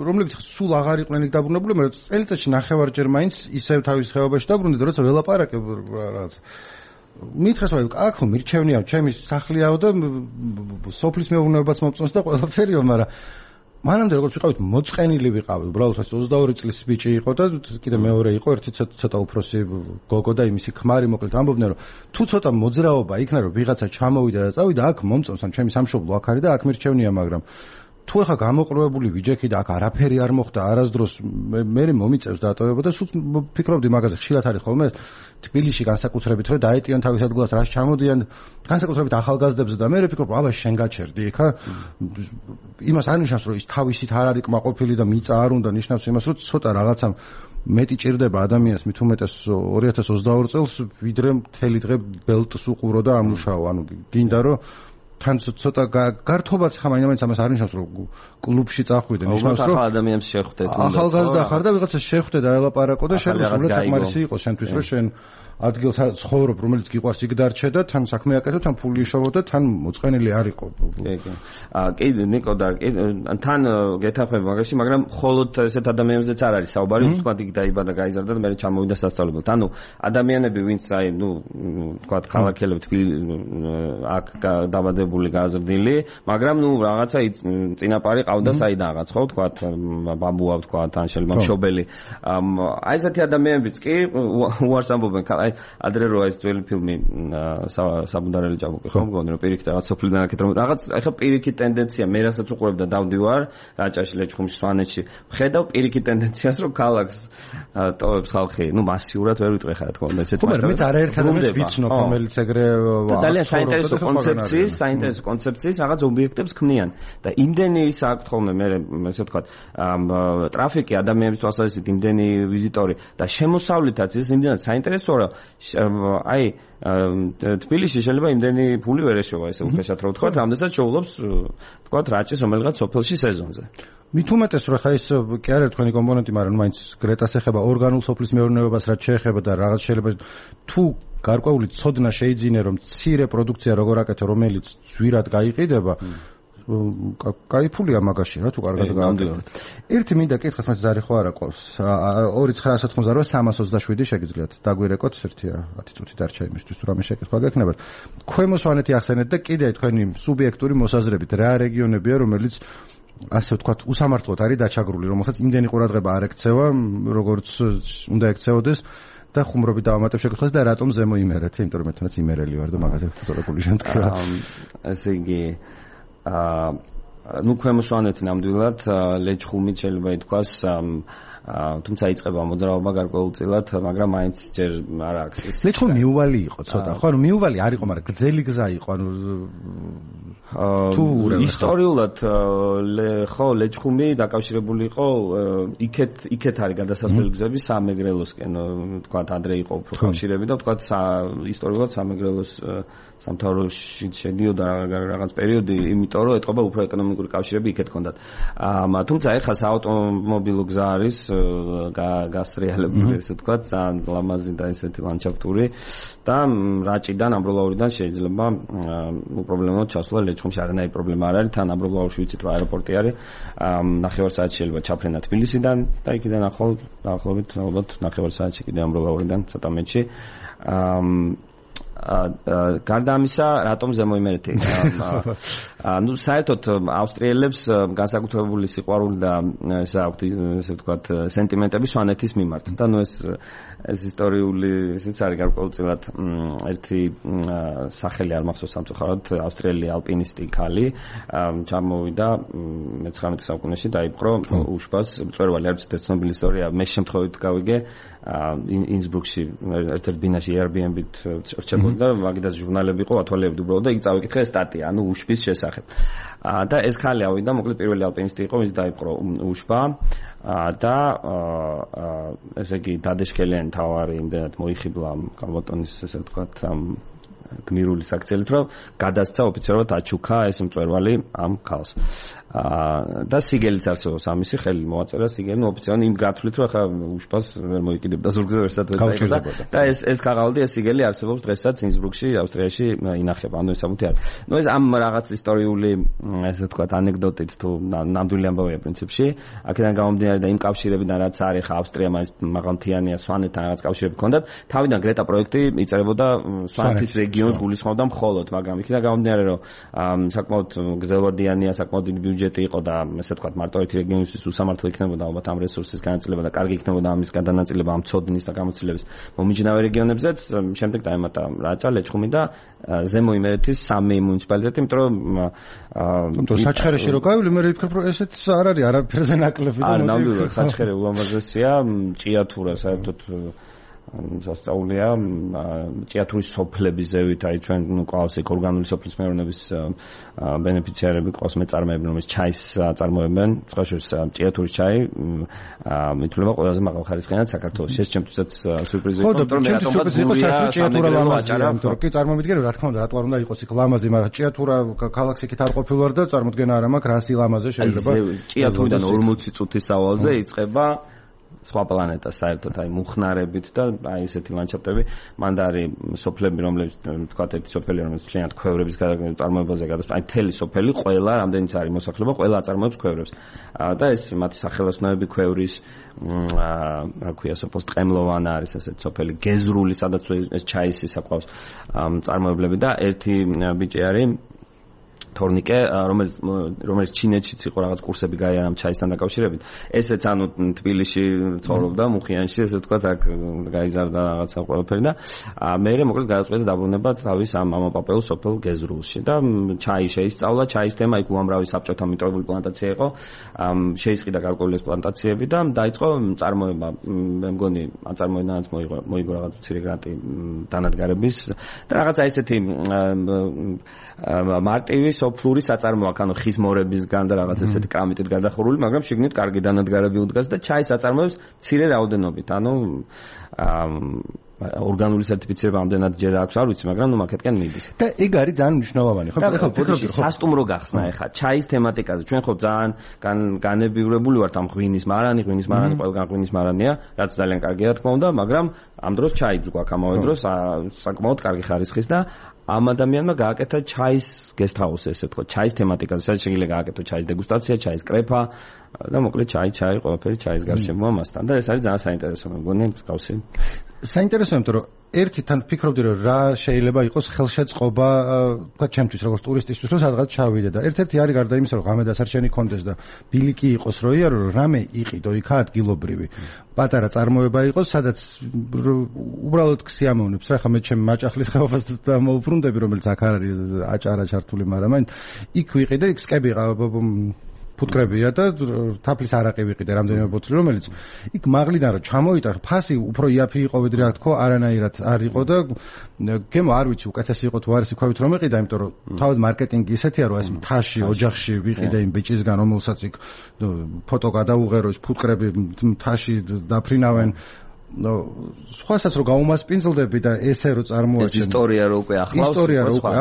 რომლებიც სულ აღარ იყვნენ იქ დაბრუნებული, მაგრამ წელიწადში ნახევარჯერ მაინც ისევ თავის ხეობაში დაბრუნდნენ, როცა ველაპარაკებ რაღაცა მითხეს რომ აქ მირჩევნია ჩემი სახლიაო და სოფლის მეურნეობას მომწონს და ყველაფერიო, მაგრამ მანამდე როგორც ვიყავით მოწყენილი ვიყავი, უბრალოდ 22 წლის ბიჭი იყო და კიდე მეორე იყო ერთი ცოტა უფროსი გოგო და იმისი ქმარი, მოკლედ ამბობდნენ რომ თუ ცოტა მოძრაობა იქნა რომ ვიღაცა ჩამოვიდა და წავიდა აქ მომწონს, ან ჩემი სამშობლო აქ არის და აქ მირჩევნია, მაგრამ თუ ახლა გამოყრუებული ვიჯექი და აქ არაფერი არ მოხდა არასდროს მე მომიწევს დატოვება და სულ ფიქრობდი მაგაზე, ხშირად არის ხოლმე თბილისში განსაკუთრებით რომ დაეტიან თავის ადგილას რას ჩამოდიან განსაკუთრებით ახალგაზრდებზე და მე ვფიქრობ აბა შენ გაჩერდი ხა იმას არ ნიშნავს რომ ის თავისით არ არის კმაყოფილი და მიწა არ უნდა, ნიშნავს იმას რომ ცოტა რაღაცამ მეტი ჭირდება ადამიანს მით უმეტეს 2022 წელს ვიდრე მთელი დღე ბელტს უყურო და ამუშაო, ანუ გინდა რომ თან ცოტა გართობაც ხა მაინც ამას არ ნიშნავს რომ კლუბში წახვიდე, ნიშნავს რომ ახალ ადამიანს შეხვდეთ, ახალგაზრდა ხარ და ვიღაცა შეხვდე და ელაპარაკო და შენ უბრალოდ საკმარისი იყო შენთვის რომ შენ ადგილს ცხოვრობ, რომელიც გიყვარს იქ დარჩე და თან საქმე აკეთო, თან ფული იშოვო და თან მოწყენილი არ იყო. კი, ნიკო და თან გეთახმები მაგაში, მაგრამ მხოლოდ ესეთ ადამიანებზეც არ არის საუბარი, ვთქვათ იქ დაიბადა, გაიზარდა და მერე ჩამოვიდა სასწავლებლად. ანუ ადამიანები, ვინც აი, ვთქვათ, ქალაქელები აქ დაბადებული, გაზრდილი, მაგრამ რაღაცა წინაპარი ყავდა საიდან რაღაც, ხო, ვთქვათ, ბაბუა, ვთქვათ, ან შეიძლება მშობელი. აი ესეთი ადამიანებიც კი უარს ამბობენ, აი ადრე რო ეს ძველი ფილმი საბუნდარელი ჭაბუკი, ხო, მგონი რომ პირიქით რაღაც სოფლიდან აქეთ რომ რაღაც ეხა პირიქით ტენდენცია, მე რასაც უყურებ და დავდივარ რაჭაში, ლეჩხუმში, სვანეთში, ხედავ პირიქით ტენდენციას, რომ ქალაქს ტოვებს ხალხი, მასიურად ვერ ვიტყვი ხარ, თქო, ესეთი მაგრამ მეც არაერთ ადამიანს ვიცნობ, რომელიც ეგრე ძალიან საინტერესო კონცეფციის რაღაც ობიექტებს ქმნიან და იმდენი ის აქვს ხოლმე მე ესე ვთქვათ, ტრაფიკი ადამიანების თვალსაზრისით იმდენი ვიზიტორი და შემოსავლითაც ის იმდენად საინტერესოა, რომ აი თბილისში შეიძლება იმდენი ფული ვერ ეშოვა, ესე უხეშად რო ვთქვათ, რამდენსაც შეულობს ვთქვათ რაჭის რომელიღაც სოფელში სეზონზე. მით უმეტეს რომ ხა ის კი არა თქვენი კომპონენტი, მაგრამ მაინც გრეტას ეხება ორგანულ სოფლის მეურნეობას, რაც შეეხება და რაღაც შეიძლება თუ გარკვეული ცოდნა შეიძინე რომ მცირე პროდუქცია როგორ აკეთო, რომელიც ძვირად გაიყიდება, კაი ფულია მაგაში რა თუ კარგად გააკეთოთ. ერთი მინდა კითხოს, მას ზარი ხო არა ყავს. 2988 327 შეგიძლიათ დაგვირეკოთ 1-10 წუთი დარჩა იმისთვის თუ რამე შეკითხვა გექნებათ. ქვემო სვანეთი ახსენეთ და კიდე თქვენი სუბიექტური მოსაზრებით რა რეგიონებია, რომელიც ასე ვთქვათ, უსამართლოდ არის დაჩაგრული, რომელსაც იმდენი ყურადღება არ ექცევა, როგორც უნდა ექცეოდეს. და ხუმრობით დავამატებ შეკითხვას და რატომ ზემო იმერეთ, იმიტომ რომ მე თვითონაც იმერელი ვარ და მაგაზე ფოტოგრაფიული შემთხვევა. ესე იგი ქვემო სვანეთი ნამდვილად ლეჩხუმით შეიძლება ითქვას, თუმცა იწყება მოძრაობა გარკვეულწილად, მაგრამ მაინც ჯერ არ აქვს ეს. ლეჩხუმი მიუვალი იყო ცოტა, ხო, ანუ მიუვალი არ იყო, მაგრამ გრძელი გზა იყო, ანუ ისტორიულად ხო ლეჩხუმი დაკავშირებული იყო იქეთ არის გადასასვლელი გზები სამეგრელოსკენ, ვთქვათ, ადრე იყო უფრო კავშირები და ვთქვათ ისტორიულად სამეგრელოს სამთავროში შედიოდა რაღაც პერიოდი, იმიტომ რომ ეთყობა უფრო ეკონომიკური კავშირები იქეთ ჰქონდათ. თუმცა ეხლა საავტომობილო გზა არის გასრიალებული, ესე ვთქვათ, ძალიან ლამაზი და ესეთი ლანდშაფტური და რაჭიდან ამბროლაურიდან შეიძლება უპრობლემოდ ჩასვლა ლეჩხუმში არანაირი პრობლემა არ არის. თან ამბროლაურში ვიცით რომ აეროპორტი არის, ნახევარ საათში შეიძლება ჩაფრენა თბილისიდან და იქიდან ახლობით ალბათ ნახევარ საათში კიდე ამბროლაურიდან ცოტა მეტში. გარდა ამისა, რატომ ზემო იმერეთი? საერთოდ ავსტრიელებს განსაკუთრებული სიყვარული და ესე აქვთ, ესე ვთქვათ, სენტიმენტები სვანეთის მიმართ. და ეს ისტორიული ისიც არის გარკვეულწილად ერთი სახელი არ მახსოვს სამწუხაროდ, ავსტრიელი ალპინისტი ქალი ჩამოვიდა მე-19 საუკუნეში, დაიპყრო უშბას მწვერვალი, არ ვიცით ცნობილი ისტორია, მე შემთხვევით გავიგე ინსბრუკში ერთ-ერთ ბინაში Airbnb-ით რჩებოდა და მაგიდას ჟურნალები იყო, ათვალებდი უბრალოდ და იქ წავიკითხე სტატია, ანუ უშბის შესახებ. და ეს ქალი ავიდა, მოკლედ პირველი ალპინისტი იყო, ვინც დაიპყრო უშბა და ესე იგი დადეშქელიანი თავარი იმდენად მოიხიბლა გამოტონის, ესე ვთქვათ, გმირული საქციელით, რომ გადასცა ოფიციალურად აჩუქა ეს მწვერვალი ამ ქალს. და სიგელიც არსებობს ამისი, ხელი მოაწერა სიგელი, ოფიციალურად იმ გათვლით, რომ ახლა უშბას ვერ მოიკიდებდა ზურგზე ვერსად ვეცაიღდა და ეს ქაღალდი, ეს სიგელი არსებობს დღესაც ინსბრუკში, ავსტრიაში ინახება, ანუ ეს ამუთი არის. ეს ამ რაღაც ისტორიული, ესე ვთქვათ, ანეკდოტით თუ ნამდვილი ამბავია პრინციპში, აქედან გამომდინარე და იმ კავშირებიდან რაც არის, ხა ავსტრია მაინც მაღალმთიანია, სვანეთთან რაღაც კავშირები ჰქონდათ, თავიდან გრეტა პროექტი იწერებოდა სვანეთის რეგიონს გულისხმობდა მხოლოდ, მაგრამ იქიდან გამომდინარე, რომ საკმაოდ გრძელვადიანია, საკმაოდ დიდი ბიუჯეტი იყო და ესე ვთქვათ, მარტო ერთი რეგიონისთვის უსამართლო იქნებოდა ალბათ ამ რესურსის განაწილება და კარგი იქნებოდა ამის გადანაწილება ამ ცოდნის და გამოცდილების მომიჯნავე რეგიონებზეც, შემდეგ დაემატა რაჭა, ლეჩხუმი და ზემო იმერეთის სამი მუნიციპალიტეტი, იმიტომ რომ საჩხერეში რო გავივლი, მე ვფიქრობ, რომ ესეც არ არის არაფერზე ნაკლები. არ ნამდვილად საჩხერე ულამაზესია, ჭიათურა საერთოდ სასწაულია, ჭიათურის სოფლების ზევით, აი ჩვენ ყავს ეგ ორგანული სოფლის მეურნეობის ბენეფიციარები, ყავს მეწარმეები, რომელიც ჩაის აწარმოებენ, სხვა შორის ჭიათურის ჩაი ითვლება ყველაზე მაღალხარისხიანად საქართველოში. ეს ჩემთვისაც სიურპრიზი იყო, იმიტომ რომ რატომაც ჭიათურა ლამაზია, იმიტომ რომ კი წარმოვიდგინე, რა თქმა უნდა, რატო არ უნდა იყოს იქ ლამაზი, მაგრამ ჭიათურა ქალაქს იქით არ ყოფილვარ და წარმოდგენა არ მაქვს, რა სილამაზე შეიძლება. ჭიათურიდან 40 წუთის სავალზე იწყება სხვა პლანეტას საერთოდ აი მუხნარებით და აი ესეთი ლანდშაფტები მან და არის სოფლები რომლებიც თქვა ერთი სოფელი რომელიც მთლიანად ქვევრების წარმოებაზე გადასწრებს აი მთელი სოფელი ყველა რამდენიც არის მოსახლეობა ყველა აწარმოებს ქვევრებს და ეს მათი სახელოსნოები ქვევრის რა ქვია სოფოს ტყემლოვანა არის ესეთი სოფელი გეზრული სადაც ეს ჩაისი საყავს წარმოებლები და ერთი ბიჭი არის თორნიკე რომელიც ჩინეთშიც იყო რაღაც კურსები გაიარა ჩაისთან დაკავშირებით ესეც ანუ თბილისში ცხოვრობდა მუხიანში ესე ვთქვათ აქ გაიზარდა რაღაცა ყველაფერი და მე მოკლედ გადაწყვეტა დაბრუნება თავის ამ მამაპაპეულ სოფელ გეზრულში და ჩაი შეისწავლა ჩაის თემა იქ უამრავი საბჭოთა მიტოვებული პლანტაცია იყო შეისყიდა გარკვეული პლანტაციები და დაიწყო წარმოება მე მგონი აწარმოებიდანაც მოიგო რაღაც მცირე გრანტი დანადგარების და რაღაცა ესეთი მარტივი სოფლური საწარმო აქ ანუ ხის მორებისგან და რაღაც ესეთი კრამიტით გადახურული, მაგრამ შიგნით კარგი დანადგარები უდგას და ჩაის აწარმოებს მცირე რაოდენობით. ანუ ორგანული სერტიფიცირება ამდენად ჯერ აქვს არ ვიცი, მაგრამ ნუ მაგეთკენ მიდის. და ეგ არის ძალიან მნიშვნელოვანი, ხო? ეხლა ფიქრობდი ხო სასტუმრო გახსნა ეხლა ჩაის თემატიკაზე. ჩვენ ხო ძალიან განებივრებული ვართ ამ ღვინის მარანი ყველგან ღვინის მარანია, რაც ძალიან კარგია თქმა უნდა, მაგრამ ამ დროს ჩაიც გვაქვს ამავე დროს საკმაოდ კარგი ხარისხის და ამ ადამიანმა გააკეთა ჩაის გესტჰაუსი ესე თქო, ჩაის თემატიკაზე, სადაც შეიძლება გააკეთო ჩაის დეგუსტაცია, ჩაის კრეფა და მოკლედ ჩაი, ყველაფერი ჩაის გარშემოა მასთან და ეს არის ძალიან საინტერესო მეგონი მსგავსი. საინტერესოა, იმიტომ რომ ერთი თან ფიქრობდი რომ რა შეიძლება იყოს ხელშეწყობა, თქვა ჩემთვის როგორც ტურისტისთვის რომ სადღაც ჩავიდე და ერთ-ერთი არის გარდა იმისა რომ ღამე დასარჩენი კონდეს და ბილიკი იყოს რო იარო რომ რამე იყიდო იქ ადგილობრივი პატარა წარმოება იყოს სადაც უბრალოდ ქსიამოვნებს რა ხა მე ჩემ მაჭახლის ხეობას მოვბრუნდები რომელიც აქ არის აჭარა ჩართული მაგრამ იქ ვიყიდე იქ სკები ფუტკრებია და თაფლის არაყი ვიყიდე რამდენიმე ბოთლი რომელიც იქ მაღლიდან რომ ჩამოიტარ ფასი უფრო იაფი იყო ვიდრე აქ თქო არანაირად არ იყო და გემო არ ვიცი უკეთესი იყო თუ არის იქვავით რომ ეყიდა იმიტომ რომ თავად მარკეტინგი ისეთია რომ ეს მთაში ოჯახში ვიყიდე იმ ბიჭისგან რომელსაც იქ ფოტო გადაუღერო ეს ფუტკრები მთაში დაფრინავენ სხვასაც რო გაუმასპინძლდები და ესე რო წარმოაჩენ ეს ისტორია რო უკვე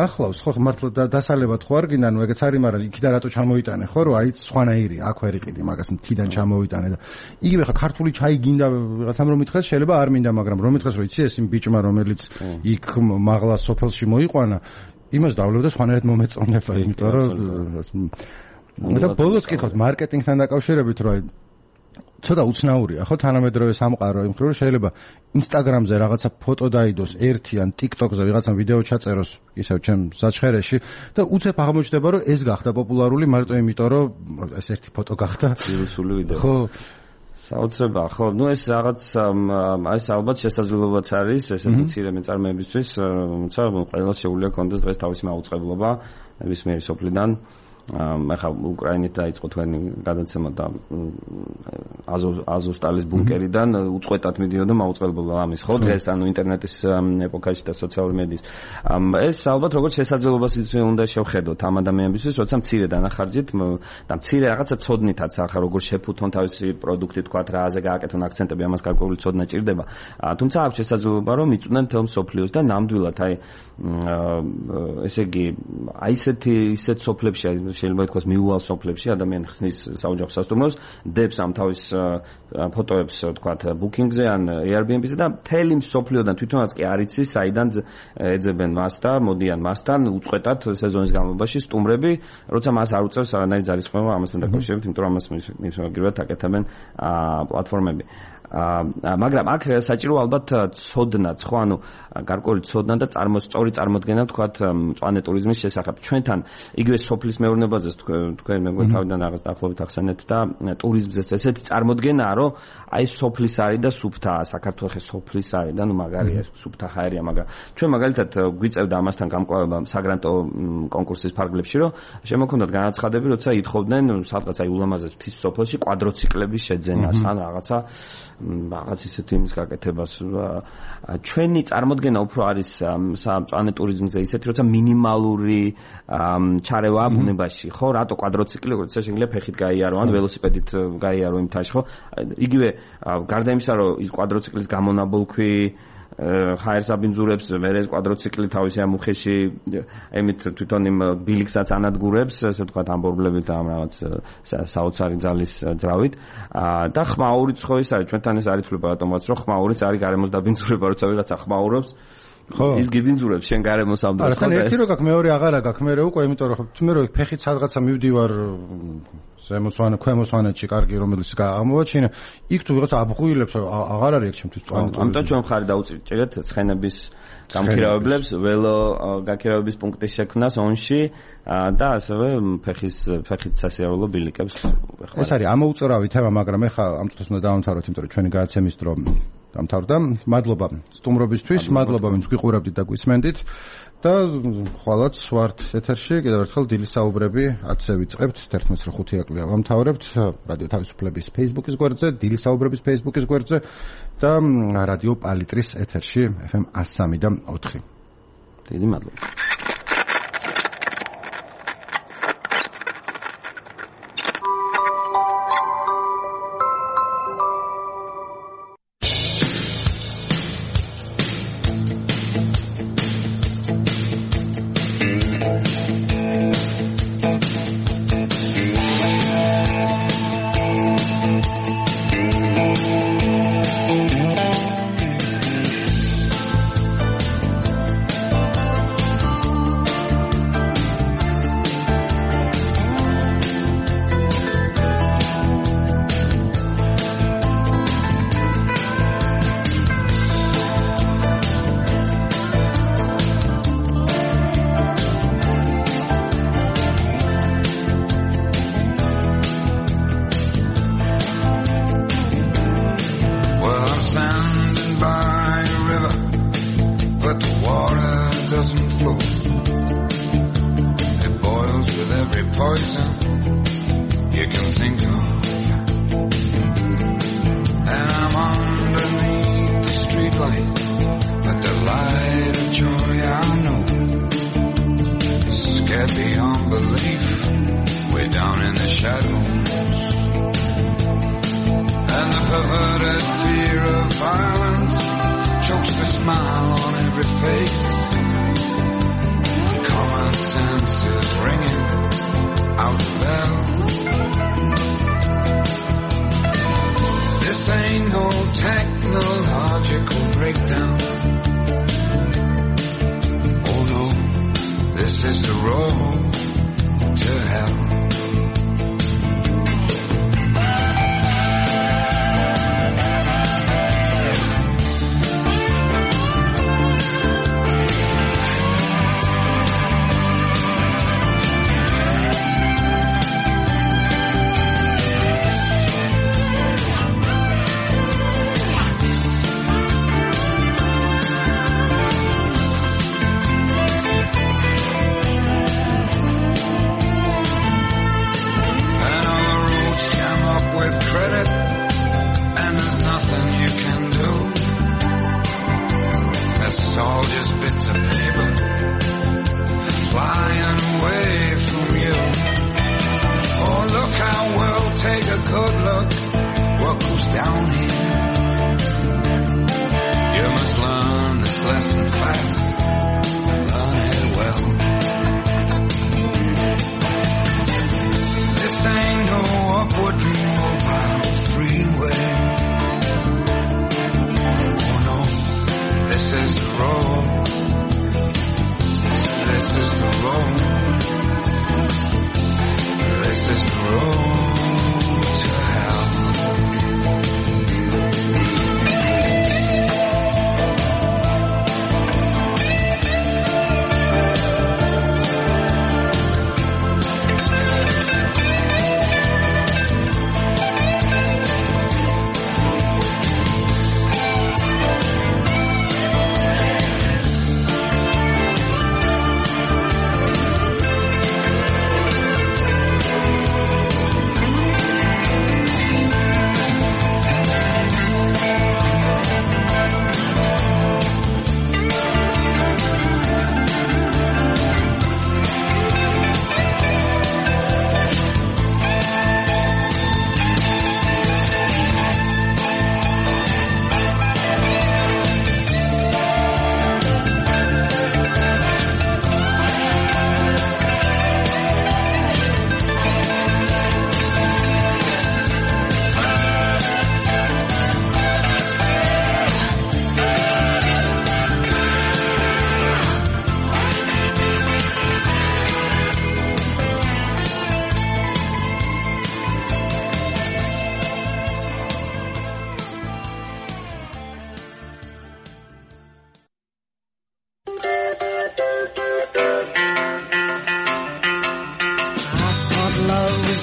ახლავს ხო მართლა დასალებად ხო არ გინდა ნუ ეგეც არის მაგრამ იქიდან რატო ჩამოიტანე ხო რომ აი სხვანაირი აქ ვერ იყიდი მაგას მთიდან ჩამოიტანე და იგივე ხა ქართული ჩაი გინდა რაღაცამ რომ მითხეს შეიძლება არ მინდა მაგრამ რომ მითხეს რომ იცი ეს იმ ბიჭმა რომელიც იქ მაღლა სოფელში მოიყვანა იმას დავლევდა სხვანაირად მომეწონება იმიტომ რომ და ბოლოს კითხავთ მარკეტინგთან დაკავშირებით რომ ცოტა უცნაურია ხო თანამედროვე სამყარო იმ ხრივ შეიძლება ინსტაგრამზე რაღაცა ფოტო დაიდოს ერთი ან ტიკტოკზე ვიღაცამ ვიდეო ჩაწეროს ისევ ჩემ საჩხერეში და უცებ აღმოჩნდება რომ ეს გახდა პოპულარული მარტო იმიტომ რომ ეს ერთი ფოტო გახდა ვირუსული ვიდეო ხო საოცრებაა ხო ნუ ეს რაღაც ეს ალბათ შესაძლებლობაც არის ესეთი მცირე მეწარმეებისთვის თუმცა ყველას შეუძლია კონდეს დღეს თავისი მაუწყებლობა ნებისმიერი სოფლიდან ახლა უკრაინით დაიწყო თქვენი გადაცემა და აზოვსტალის ბუნკერიდან უწყვეტად მიდიოდა მაუწყებლობა ამის ხო დღეს ანუ ინტერნეტის ეპოქაში და სოციალური მედიის ეს ალბათ როგორც შესაძლებლობას უნდა შევხედოთ ამ ადამიანებისთვის როცა მცირე დანახარჯით და მცირე რაღაცა ცოდნითაც ახლა როგორ შეფუთონ თავისი პროდუქტი თქვა რააზე გააკეთონ აქცენტები ამას გარკვეული ცოდნა ჭირდება თუმცა აქვს შესაძლებლობა რომ იწვნენ თელ მსოფლიოს და ნამდვილად აი ესე იგი აი ისეთ სოფლებში შეიძლება ითქვას მიუვალ სოფლებში ადამიანი ხსნის საოჯახო სასტუმროს დებს ამ თავის ფოტოებს თქვათ ბუკინგზე ან Airbnb-ზე და მთელი სოფლიოდან თვითონაც კი არ იცის საიდან ეძებენ მას და მოდიან მასთან უწყვეტად სეზონის განმავლობაში სტუმრები როცა მას არ უწევს არანაირი ძალისხმევა ამასთან დაკავშირებით იმიტომ რომ ამას მისმაგრებად აკეთებენ პლატფორმები მაგრამ აქ საჭირო ალბათ ცოდნაც ხო ანუ გარკვეული ცოდნა და სწორი წარმოდგენა ვთქვათ მწვანე ტურიზმის შესახებ ჩვენთან იგივე სოფლის მეურნეობაზე თქვენ მეგონი თავიდან რაღაც დაახლოებით ახსენეთ და ტურიზმზე ესეთი წარმოდგენაა რომ აი სოფლის არის და სუფთაა საქართველოს სოფლის არის და ნუ მაგარია სუფთა ხაერია მაგრამ ჩვენ მაგალითად გვიწევდა ამასთან გამკლავება საგრანტო კონკურსის ფარგლებში რომ შემოქონდათ განაცხადები როცა ითხოვდნენ სადღაც აი ულამაზეს მთის სოფელში კვადროციკლების შეძენას ან რაღაც ისეთი იმის გაკეთებას ჩვენი წარმოდგენა უფრო არის სამწვანე ტურიზმზე ისეთი როცა მინიმალური ჩარევაა ბუნებაში ხო რატო კვადროციკლი როცა შეიძლება ფეხით გაიარო ან ველოსიპედით გაიარო იმ თაში ხო იგივე გარდა იმისა რომ ის კვადროციკლის გამონაბოლქვი ჰაერს აბინძურებს, ვერეს კვადროციკლი თავისი ამუხეში, ემით თვითონ იმ ბილიკსაც ანადგურებს, ასე ვთქვათ, ამბობლებით ამ რაღაც საოცარი ძალის ძრავით. და ხმაურიც ხო ის არის, ჩვენთან ეს არის თვლება რატომაც, რომ ხმაურიც არის გარემოს დაბინძურება, როცა ვიღაცა ხმაურობს. ხო ის გიბინძურებს შენ გარემოს ამ დროს. არა, ერთი რო გაქვს, მეორე აღარა გაქვს, მე უკვე, იმიტომ რომ მე რო ფეხით სადღაცა მივდივარ ზემოსვან, ქვემოსვანეთში კარგი რომელიც აღმოვაჩინე, იქ თუ ვიღაცა აბღუილებს აღარ არის აქ ჩემთვის წვანი. ამიტომ ჩვენ მხარი დაუჭირეთ ცხენების გამქირავებლებს, ველო გაქირავების პუნქტის შექმნას ონში და ასევე ფეხით სასიარულო ბილიკებს. ეს არის ამოუწურავი თემა, მაგრამ ეხლა ამ წუთას უნდა დავამთავროთ, იმიტომ რომ ჩვენი გადაცემის დრო დამთავრდა. მადლობა სტუმრობისთვის, მადლობა ვინც გვიყურებდით და გვისმენდით და ხვალაც ვართ ეთერში. კიდევ ერთხელ დილის საუბრები 10-ზე ვიწყებთ, 11:05 აკლია ვამთავრებთ რადიო თავისუფლების Facebook-ის გვერდზე, დილის საუბრების Facebook-ის გვერდზე და რადიო პალიტრის ეთერში FM 103 და 4. დიდი მადლობა.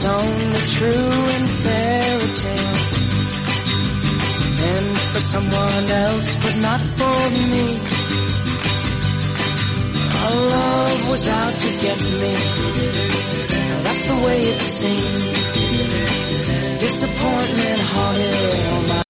was only true in fairy tales, and for someone else, but not for me. Our love was out to get me. That's the way it seemed. Disappointment haunted all my